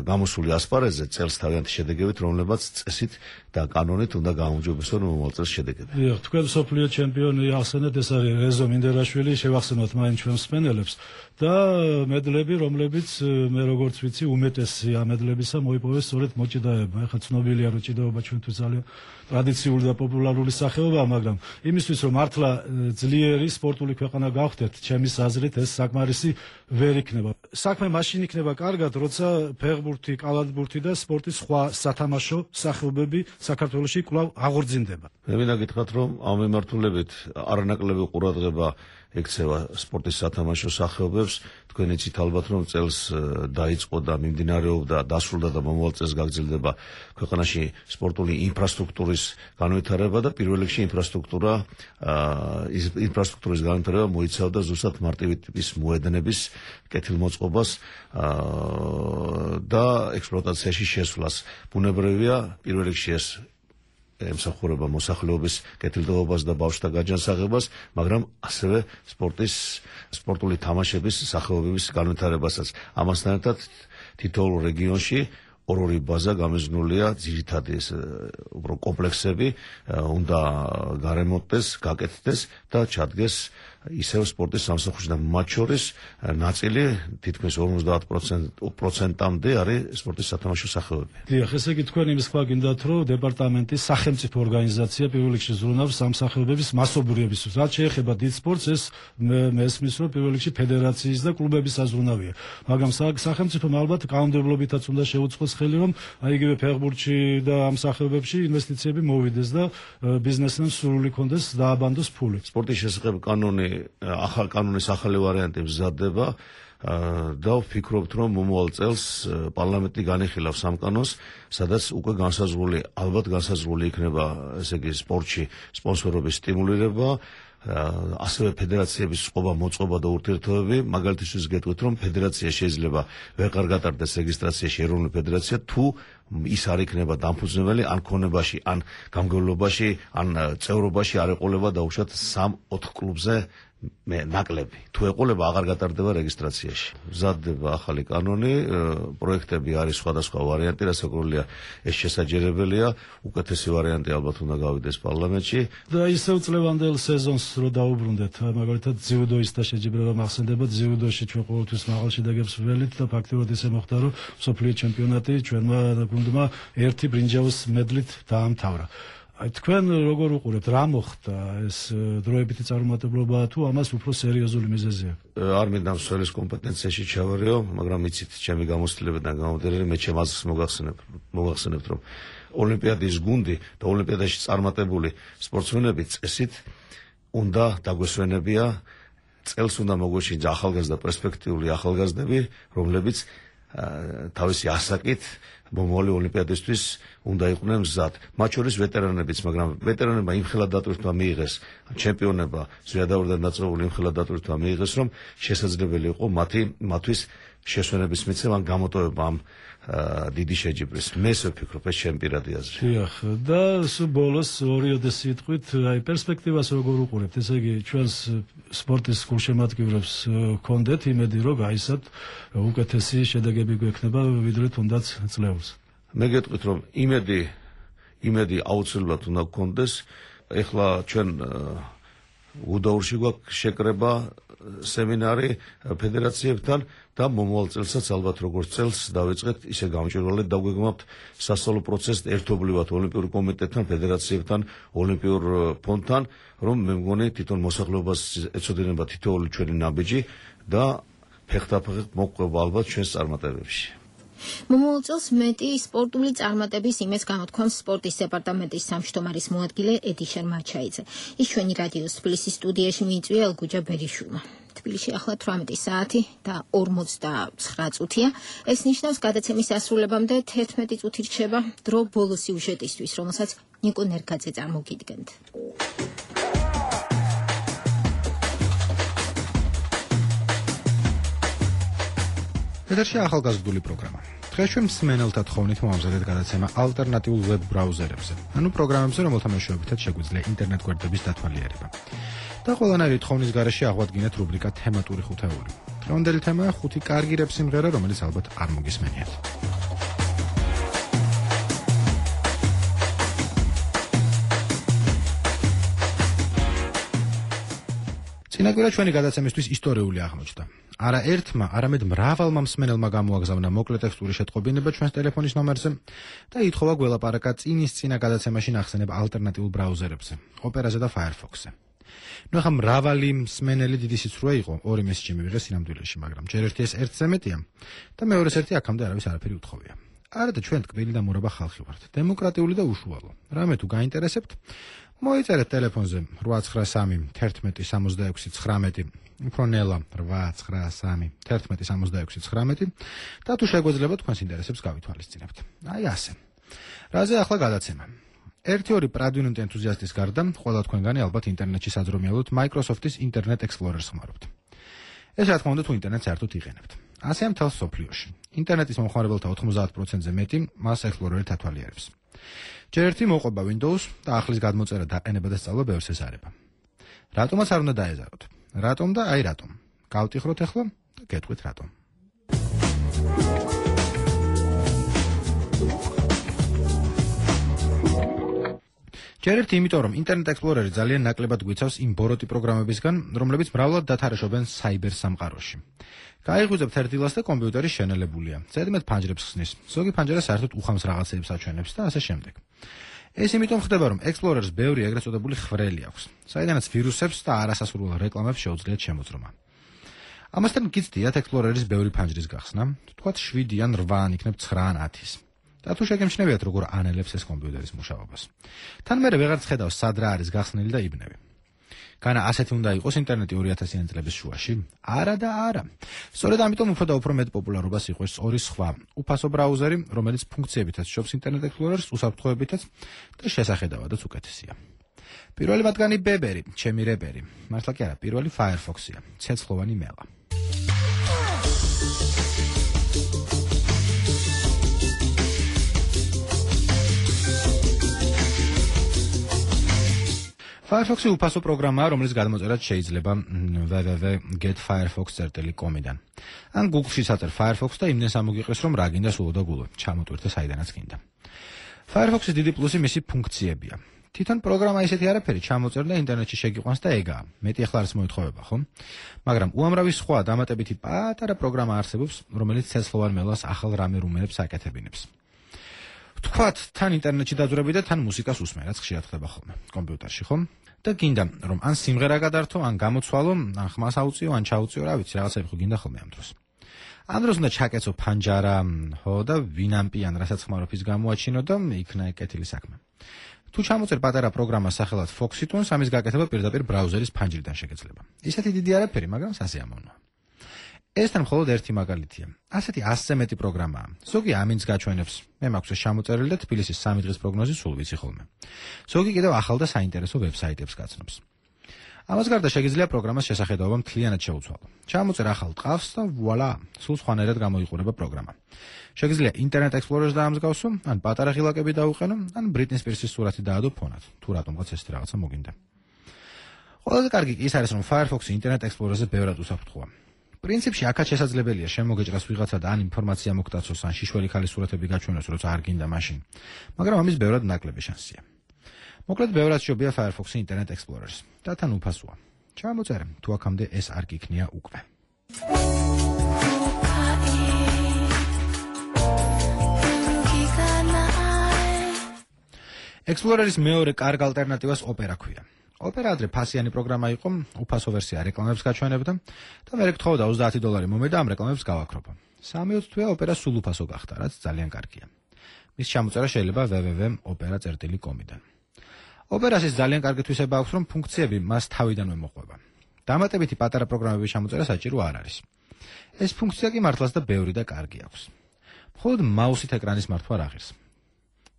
გამოსული ასპარეზზე წელს თავიანთი შედეგებით, რომლებაც წესით და კანონით უნდა გააუმჯობესონ მომავალ წელს შედეგები. დიახ, თქვენ სოფლიო ჩემპიონი ახსენეთ, ეს არის რეზო მინდერაშვილი, შევახსენოთ მაინც ჩვენ მსმენელებს და მედლები, რომლებიც მე როგორც ვიცი, უმეტესი ამ მედლებისა მოიპოვეს სწორედ მოჭიდაებმა. ეხლა ცნობილია, რომ ჭიდაობა ჩვენთვის ძალიან ტრადიციული და პოპულარული სახეობაა, მაგრამ იმისთვის რომ მართლა ძლიერი სპორტული ქვეყანა გავხდეთ, ჩემის აზრით ეს საკმარისი ვერ იქნება. საქმე მაშინ იქნება კარგად, როცა ფეხბურთი, კალათბურთი და სპორტის სხვა სათამაშო სახეობები საქართველოში კვლავ აღორძინდება. მე მინდა გითხრათ, რომ ამ მიმართულებით არანაკლები ყურადღება ექცევა სპორტის სათამაშო სახეობებს. თქვენ იცით ალბათ, რომ წელს დაიწყო და მიმდინარეობდა, დასრულდა და მომავალ წელს გაგრძელდება ქვეყანაში სპორტული ინფრასტრუქტურის განვითარება და პირველ რიგში ინფრასტრუქტურის განვითარება მოიცავდა ზუსტად მარტივი ტიპის მოედნების კეთილმოწყობას და ექსპლუატაციაში შესვლას. ბუნებრივია, პირველ რიგში ეს ემსახურება მოსახლეობის კეთილდღეობას და ბავშვთა გაჯანსაღებას, მაგრამ ასევე სპორტული თამაშების სახეობების განვითარებასაც. ამასთან ერთად თითოეულ რეგიონში ორ-ორი ბაზა გამიზნულია, ძირითადი უფრო კომპლექსები უნდა გარემონტდეს, გაკეთდეს და ჩადგეს ისევ სპორტის სამსახურში და მათ შორის ნაწილი თითქმის 50%-მდე არის სპორტის სათამაშო სახეობები. დიახ, ესე იგი თქვენ იმის ხმა გინდათ, რომ დეპარტამენტის სახელმწიფო ორგანიზაცია პირველ რიგში ზრუნავს ამ სახეობების მასობრივებისთვის. რაც შეეხება დიდ სპორტს, ეს მესმის, რომ პირველ რიგში ფედერაციის და კლუბების საზრუნავია. მაგრამ სახელმწიფომ ალბათ კანონმდებლობითაც უნდა შეუწყოს ხელი, რომ იგივე ფეხბურთში და ამ სახეობებში ინვესტიციები მოვიდეს და ბიზნესმენს სურვილი ქონდეს დააბანდოს ფული. სპორტის შესახებ კანონის ახალი ვარიანტი მზადდება და ვფიქრობთ, რომ მომავალ წელს პარლამენტი განიხილავს ამ კანონს, სადაც უკვე ალბათ განსაზღვრული იქნება, ესე იგი სპორტში სპონსორობის სტიმულირება, ასევე ფედერაციების მოწყობა და ურთიერთობები. მაგალითისთვის გეტყვით, რომ ფედერაცია შეიძლება ვეღარ გატარდეს რეგისტრაციაში ეროვნული ფედერაცია, თუ ის არ იქნება დამფუძნებელი ან ქონებაში, ან გამგებლობაში, ან წევრობაში არ ეყოლება დაუშვათ 3-4 კლუბზე ნაკლები. თუ ეყოლება, აღარ გატარდება რეგისტრაციაში. მზადდება ახალი კანონი, პროექტები არის სხვადასხვა ვარიანტი, რასაკვირველია, ეს შესაძლებელია, უკეთესი ვარიანტი ალბათ უნდა გავიდეს პარლამენტში. და ისევ წლევანდელ სეზონს რო დაუბრუნდეთ, მაგალითად ძიუდოისტთა შეჯიბრება მახსენდება, ძიუდოში ჩვენ ყოველთვის მაღალ შედეგებს ვველით და ფაქტობრივად ისე მოხდა, რომ სოფლიო ჩემპიონატი ჩვენმა გუნდმა ერთი ბრინჯაოს მედლით დაამთავრა. თქვენ როგორ უყურებთ, რა მოხდა, ეს დროებითი წარუმატებლობაა თუ ამას უფრო სერიოზული მიზეზია? არ მინდა მსვლის კომპეტენციაში ჩავარიო, მაგრამ იცით, ჩემი გამოცდილებიდან გამომდინარე, მე ჩემ აზრს მოგახსენებთ, რომ ოლიმპიადის გუნდი და ოლიმპიადაში წარმატებული სპორტსმენები წესით უნდა დაგვესვენებია, წელს უნდა მოგვეშინოს ახალგაზრდა პერსპექტიული ახალგაზრდები, რომლებიც თავისი ასაკით მომავალი ოლიმპიადისთვის უნდა იყვნენ მზად. მათ შორის ვეტერანებიც, მაგრამ ვეტერანებმა იმხელა დატვირთვა მიიღეს, ჩემპიონება ზვიადაურიდან დაწყებული იმხელა დატვირთვა მიიღეს, რომ შესაძლებელი იყო მათთვის შესვენების მიცემა ან გამოტოვება ამ დიდი შეჯიბრის. მე ესე ვფიქრობ, ეს ჩემი პირადი აზრი. დიახ, და ბოლოს ორიოდე სიტყვით, აი პერსპექტივას როგორ უყურებთ? ესე იგი, ჩვენს სპორტის გულშემატკივრებს გქონდეთ იმედი, რომ გაისად უკეთესი შედეგები გვექნება, ვიდრე თუნდაც წლეულს. მე გეტყვით, რომ იმედი აუცილებლად უნდა გქონდეს. ეხლა ჩვენ გუდაურში გვაქვს შეკრება სემინარი ფედერაციებთან და მომავალ წელსაც ალბათ როგორც წელს დავიწყეთ ისე გამჭვირვალედ დაგვეგმავთ სასწავლო პროცესს ერთობლივად ოლიმპიური კომიტეტთან, ფედერაციებთან, ოლიმპიურ ფონდთან, რომ მე მგონი თვითონ მოსახლეობას ეცოდინება თითოეული ჩვენი ნაბიჯი და ფეხდაფეხით მოყვება ალბათ ჩვენს წარმატებებში. მომავალ წელს მეტი სპორტული წარმატების იმედს გამოთქვამს სპორტის დეპარტამენტის სამშტომარის მოადგილე ედი შერმაჩაიძე. ის ჩვენი რადიოს თბილისის სტუდიაში მიიწვია ელგუჯა ბერიშვილმა. თბილისში ახლა 18 საათი და 49 წუთია. ეს ნიშნავს გადაცემის დასრულებამდე 11 წუთი რჩება დრო ბოლო სიუჟეტისთვის, რომელსაც ნიკო ნერგაძე წარმოგიდგენთ. ეთერში ახალგაზრდული პროგრამა. დღეს ჩვენ მსმენელთა თხოვნით მოამზადეთ გადაცემა ალტერნატიულ ვებ ბრაუზერებზე, ანუ პროგრამებზე, რომელთა მეშვეობითაც შეგვიძლია ინტერნეტ გვერდების დათვალიერება. და ყველანაირი თხოვნის გარეშე აღვადგინეთ რუბრიკა თემატური ხუთეული. დღევანდელი თემაა 5 კარგი რეპ სიმღერა, რომელიც ალბათ არ მოგისმენიათ. წინაკვირა ჩვენი გადაცემისთვის ისტორიული აღმოჩნდა. არა ერთმა, არამედ მრავალმა მსმენელმა გამოაგზავნა მოკლე ტექსტური შეტყობინება ჩვენს ტელეფონის ნომერზე და ითხოვა გველაპარაკა წინის წინა გადაცემაში ნახსენებ ალტერნატიულ ბრაუზერებზე, ოპერაზე და Firefox-ზე. ნუ ახლა მრავალი მსმენელი დიდი სიცრუე იყო, 2 მესიჯი მივიღეს სინამდვილეში, მაგრამ ჯერ ერთი ეს ერთზე მეტია და მეორეს ერთი აქამდე არავის არაფერი უთხოვია. არა და ჩვენ ტკბილი და მურაბა ხალხი ვართ, დემოკრატიული და უშუალო. რამე თუ გაინტერესებთ, მოიწერეთ ტელეფონზე 893 11 66 19 უფრო ნელა 893 11 66 19 და თუ შეგვეძლება თქვენს ინტერესებს გავითვალისწინებთ. აი ასე. რაზე ახლა გადაცემა. 1-2 პრადვინუნტ ენთუზიასტის გარდა, ყველა თქვენგანი ალბათ ინტერნეტში საძრომიალოდ Microsoft-ის Internet Explorer-ს ხმარობთ. ეს რა თქმა უნდა თუ ინტერნეტს საერთოდ იყენებთ. ასეა მთელ სოფლიოში. ინტერნეტის მომხმარებელთა 90%-ზე მეტი მას Explorer-ით ათვალიერებს. ჯერ ერთი მოყვება Windows და ახლის გადმოწერა დაყენება და სწავლა ბევრს ესარება. რატომაც არ უნდა დაეზაროთ? რატომ და აი რატომ? გავტიხროთ ახლა და გეტყვით რატომ. ჯერ ერთი იმიტომ, რომ Internet Explorer-ი ძალიან ნაკლებად გვიცავს იმ ბოროტი პროგრამებისგან, რომლებიც მრავლად დათარეშობენ საიბერ სამყაროში. გაიღვიძებთ ერთ დილას და კომპიუტერი შენელებულია. ზედმეტ ფანჯრებს ხსნის. ზოგი ფანჯარა საერთოდ უხამს რაღაცეებს აჩვენებს და ასე შემდეგ. ეს იმიტომ ხდება, რომ Explorer-ს ბევრი ეგრეთ წოდებული ხრელი აქვს, საიდანაც ვირუსებს და არასასურველ რეკლამებს შეუძლიათ შემოძრომა. ამასთან გიცდიათ Explorer-ის ბევრი ფანჯრის გახსნა, თქვათ 7 ან 8 ან იქნებ 9 ან 10-ის. და თუ შეგემჩნევიათ, როგორ ანელებს ეს კომპიუტერის მუშაობას. თან მერე ვეღარც ხედავს, სად რა არის გახსნილი და იბნევი. განა ასეთი უნდა იყოს ინტერნეტი 2000-იან წლების შუაში? არა და არა. სწორედ ამიტომ უფრო და უფრო მეტ პოპულარობას იღებს ორი სხვა უფასო ბრაუზერი, რომელიც ფუნქციებითაც შობს Internet Explorer-ს, უსაფრთხოებითაც და შესახედავადაც უკეთესია. პირველი მათგანი ბებერი, ჩემი რეპერი. მართლა კი არა, პირველი Firefox-ია, ცეცხლოვანი მელა. Firefox-ი უფასო პროგრამაა, რომელიც გადმოწერად შეიძლება www.getfirefox.com-დან. ან Google-ში საწერ Firefox და იმდენს ამოგიყრეს, რომ რა გინდა სულ და გულო, ჩამოტვირთე საიდანაც გინდა. Firefox-ის დიდი პლუსი მისი ფუნქციებია. თვითონ პროგრამა ისეთი არაფერი ჩამოწერ და ინტერნეტში შეგიყვანს და ეგაა. მეტი ახლა არის მოეთხოვება, ხო? მაგრამ უამრავი სხვა დამატებითი პატარა პროგრამა არსებობს, რომელიც ცეცხლოვან მელას ახალ რამე რუმენებს აკეთებინებს. თქვათ, თან ინტერნეტში დაძვრები და თან მუსიკას უსმენ, რაც ხშირად ხდება ხოლმე კომპიუტერში, ხო? და გინდა, რომ ან სიმღერა გადართო, ან გამოცვალო, ან ხმას აუწიო, ან ჩაუწიო, რა ვიცი, რაღაცები ხო გინდა ხოლმე ამ დროს. ამ დროს უნდა ჩაკეცო ფანჯარა, ხო, და ვინამპი ან რასაც ხმარობ ის გამოაჩინო და იქნა ეკეთილი საქმე. თუ ჩამოწერ პატარა პროგრამას სახელად Foxy-Tunes, ამის გაკეთება პირდაპირ ბრაუზერის ფანჯრიდან შეგეძლება. ისეთი დიდი არაფერი, მაგრამ სასიამოვნოა. ეს თან მხოლოდ ერთი მაგალითია. ასეთი 100-ზე მეტი პროგრამაა. ზოგი ამინს გაჩვენებს. მე მაქვს ეს ჩამოწერილი და თბილისის 3 დღის პროგნოზი სულ ვიცი ხოლმე. ზოგი კიდევ ახალ და საინტერესო ვებსაიტებს გაცნობს. ამას გარდა შეგიძლია პროგრამას შესახედაობა მთლიანად შეუცვალო. ჩამოწერ ახალ ტყავს და ვუალა, სულ სხვანაირად გამოიყურება პროგრამა. შეგიძლია Internet Explorer-ს დაამსგავსო, ან პატარა ღილაკები დაუყენო, ან Britney Spears-ის სურათი დაადო ფონად, თუ რატომღაც ეს რაღაცა მოგინდა. ყველაზე კარგი ის არის, რომ Firefox-ი Internet Explorer-ზე ბევრად უსაფრთხოა. პრინციპში აქაც შესაძლებელია შემოგეჭრას ვიღაცა და ან ინფორმაცია მოგტაცოს, ან შიშველი ხალის სურათები გაჩვენოს, როცა არ გინდა მაშინ. მაგრამ ამის ბევრად ნაკლები შანსია. მოკლედ ბევრად შობია Firefox-ი Internet Explorer-ს და თან უფასოა. ჩამოწერე, თუ აქამდე ეს არ გიქნია უკვე. ექსპლორერის მეორე კარგ ალტერნატივას ოპერა ქვია. ოპერა ადრე ფასიანი პროგრამა იყო, უფასო ვერსია რეკლამებს გაჩვენებდა და მე გთხოვდა $30 მომედა ამ რეკლამებს გავაქრობო. 3-20 თვეა ოპერა სულ უფასო გახდა, რაც ძალიან კარგია. მის ჩამოწერა შეიძლება www.opera.com-დან. ოპერას ის ძალიან კარგი თვისება აქვს, რომ ფუნქციები მას თავიდანვე მოყვება. დამატებითი პატარა პროგრამების ჩამოწერა საჭირო არ არის. ეს ფუნქცია კი მართლაც და ბევრი და კარგი აქვს. მხოლოდ მაუსით ეკრანის მართვა არ აღირს.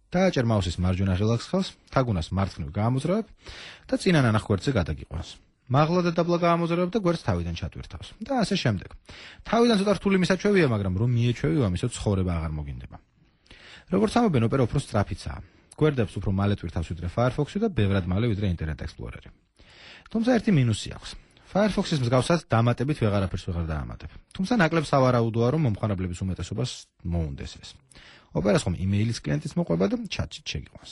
დააჭერ მაუსის მარჯვენა ღილაკს ხელს, თაგუნას მარცხნივ გაამოძრავებ და წინა ნანახ გვერდზე გადაგიყვანს. მაღლა და დაბლა გაამოძრავებ და გვერდს თავიდან ჩატვირთავს და ასე შემდეგ. თავიდან ცოტა რთული მისაჩვევია, მაგრამ რომ მიეჩვევი ამისო ცხოვრება აღარ მოგინდება. როგორც ამობენ, ოპერა უფრო სწრაფიცაა. გვერდებს უფრო მალე ტვირთავს ვიდრე Firefox-ი და ბევრად მალე ვიდრე Internet Explorer-ი. თუმცა ერთი მინუსი აქვს. Firefox-ის მსგავსად დამატებით ვეღარაფერს ვეღარ დაამატებ. თუმცა ნაკლებ სავარაუდოა, რომ მომხმარებლების უმეტესობას მოუნდეს ეს. ოპერას ხომ იმეილის კლიენტიც მოყვება და ჩატში შეგიყვანს.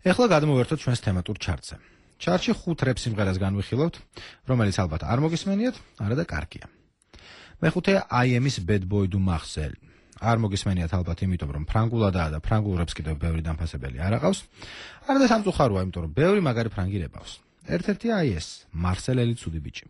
ეხლა გადმოვერთოთ ჩვენს თემატურ ჩარტზე. ჩარტში 5 რეპ სიმღერას განვიხილავთ, რომელიც ალბათ არ მოგისმენიათ, არა და კარგია. მეხუთე IM-ის Bad Boy Du Marcel. არ მოგისმენიათ ალბათ იმიტომ, რომ ფრანგულადაა და ფრანგულ რეპს კიდევ ბევრი დამფასებელი არ აყავს. არა და სამწუხაროა, იმიტომ რომ ბევრი მაგარი ფრანგი რეპავს. ერთ-ერთია აი ეს, Marcel-ელი ცუდი ბიჭი.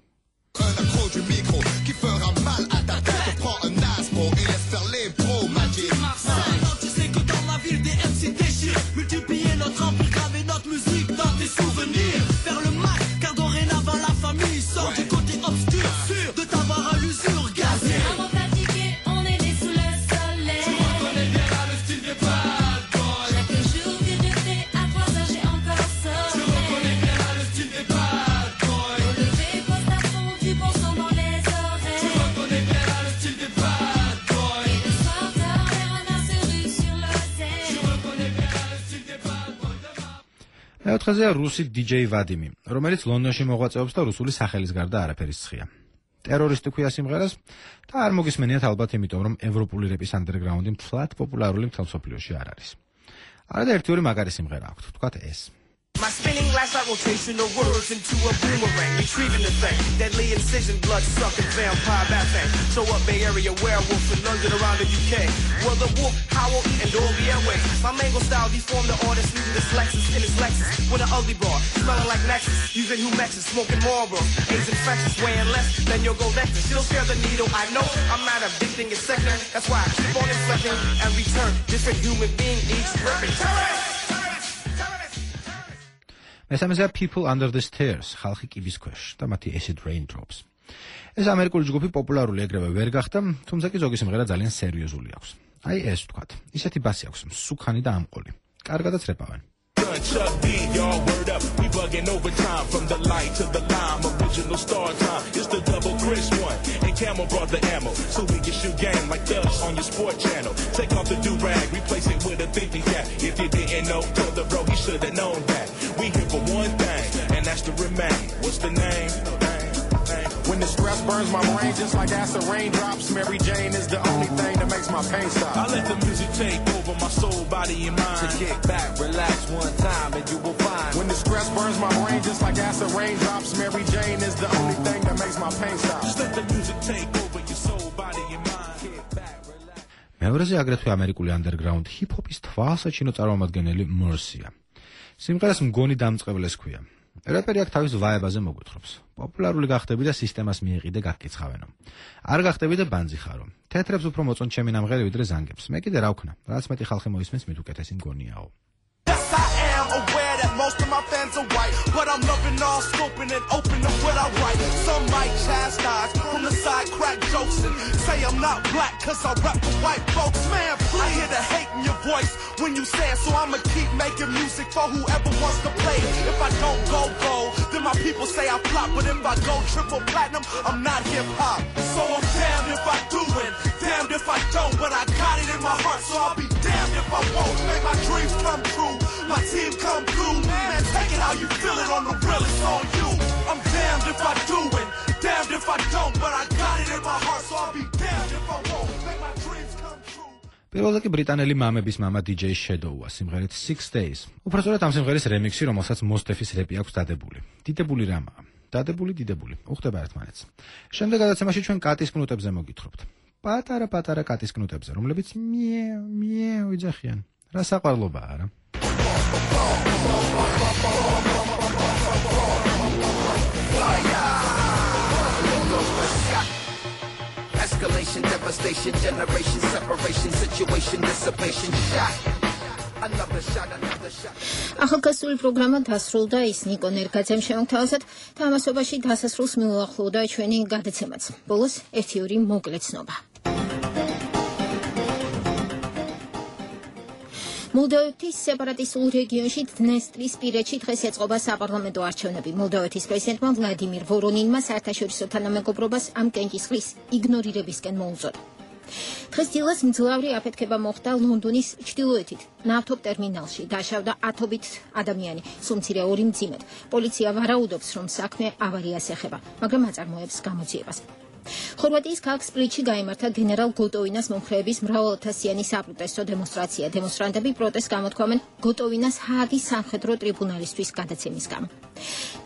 მეოთხეზეა რუსი DJ ვადიმი, რომელიც ლონდონში მოღვაწეობს და რუსული სახელის გარდა არაფერის ცხია. ტერორისტი ქვია სიმღერას და არ მოგისმენიათ ალბათ იმიტომ, რომ ევროპული რეპის ანდერგრაუნდი მთლად პოპულარული მთელ მსოფლიოში არ არის. არა და ერთი-ორი მაგარი სიმღერა აქვს, თქვათ ეს. My spinning glass eye rotation of words into a boomerang, retrieving the thing. Deadly incision, blood sucking vampire bat thing. Show up Bay Area werewolf in London around the UK. Well, the wolf howl eating doggy airways. My mango style deformed the artist using this Lexus in his Lexus with an ugly bra, smelling like Nexus. Using Humexes, smoking Marlboro. AIDS infectious, weighing less than your gold necklace. Still share the needle. I know I'm not addicting it's second. That's why I keep on inflecting and return. Different human being each ripping. მესამეზეა People Under the Stairs, ხალხი კიბის ქვეშ და მათი Acid Raindrops. ეს ამერიკული ჯგუფი პოპულარული ეგრევე ვერ გახდა, თუმცა კი ზოგი სიმღერა ძალიან სერიოზული აქვს. აი ეს თქვათ, ისეთი ბასი აქვს, მსუქანი და ამყოლი. კარგადაც რეპავენ. Chuck D, y'all word up, we bugging overtime from the light to the lime, original star time, it's the double Chris one, and Camel brought the ammo, so we can shoot game like Dubs on your sport channel, take off the do-rag, replace it with a thinking cap, if you didn't know, tell the bro he should've known that, we here for one thing, and that's to remain, what's the name? When the stress burns my brain just like acid raindrops, Mary Jane is the only thing that makes my pain stop. I let the music take over my soul, body, and mind. To kick back, relax one time, and you will find. When the stress burns my brain just like acid raindrops, Mary Jane is the only thing that makes my pain stop. Just let the music take over your soul, body, and mind. Kick back, relax. მეორეზე აგრეთვე ამერიკული underground hip-hopის თვალსაჩინო წარმომადგენელი Mercy-ა. სიმღერას მგონი დამწყევლეს ქვია. რეპერი აქ თავის ვაებაზე მოგვითხრობს. პოპულარული გახდები და სისტემას მიეყიდე გაგკიცხავენო. არ გახდები და ბანძი ხარო. თეთრებს უფრო მოწონ ჩემი ნამღერი ვიდრე ზანგებს. მე კიდე რა ვქნა? რაც მეტი ხალხი მოისმენს, მით უკეთესი მგონიაო. Aware that most of my fans are white, but I'm loving all scoping and open to what I write. Some might chastise from the side, crack jokes and say I'm not black cause I rap for white folks. Man, please. I hear the hate in your voice when you say it, so I'ma keep making music for whoever wants to play. If I don't go gold, then my people say I flop, but if I go triple platinum, I'm not hip hop. So I'm damned if I do it, damned if I don't, but I got it in my heart, so I'll be damned if I won't. Make my dreams come true, my team come through, man, take it how you feel it on the real, it's on you. I'm damned if I do it, damned if I don't, but I got პირველზე კი ბრიტანელი მამების მამა DJ Shadow-ა სიმღერით 6 Days. უბრალოდ ამ სიმღერის რემიქსი, რომელსაც Mos-Def-ის რეპი აქვს დადებული. დიდებული რამაა. დადებული. უხდება ერთმანეთს. შემდეგ გადაცემაში ჩვენ კატის კნუტებზე მოგითხრობთ. პატარა კატის კნუტებზე, რომლებიც მიეუ იძახიან. რა საყვარლობაა რა. Escalation, devastation, generation, separation, situation, dissipation, shot. Another shot. ახალგაზრდული პროგრამა დასრულდა, ის ნიკო ნერგაძემ შემოგთავაზეთ და ამასობაში დასასრულს მიუახლოვდა ჩვენი გადაცემაც. ბოლოს 1-2 მოკლე ცნობა. მოლდოვეთის სეპარატისტულ რეგიონში დნესტრისპირეთში დღეს ეწყობა საპარლამენტო არჩევნები. მოლდოვეთის პრეზიდენტმა ვლადიმირ ვორონინმა საერთაშორისო თანამეგობრობას ამ კენჭისყრის იგნორირებისკენ მოუწოდა. დღეს დილას მძლავრი აფეთქება მოხდა ლონდონის ჩრდილოეთით, ნავთობ ტერმინალში. დაშავდა ათობით ადამიანი, სულ მცირე 2 მძიმედ. პოლიცია ვარაუდობს, რომ საქმე ავარიას ეხება, მაგრამ აწარმოებს გამოძიებას. ხორვატიის ქალაქ სპლიტში გაიმართა გენერალ გოტოვინას მომხრეების მრავალათასიანი საპროტესტო დემონსტრაცია. დემონსტრანტები პროტესტს გამოთქვამენ გოტოვინას ჰააგის სამხედრო ტრიბუნალისთვის გადაცემის გამო.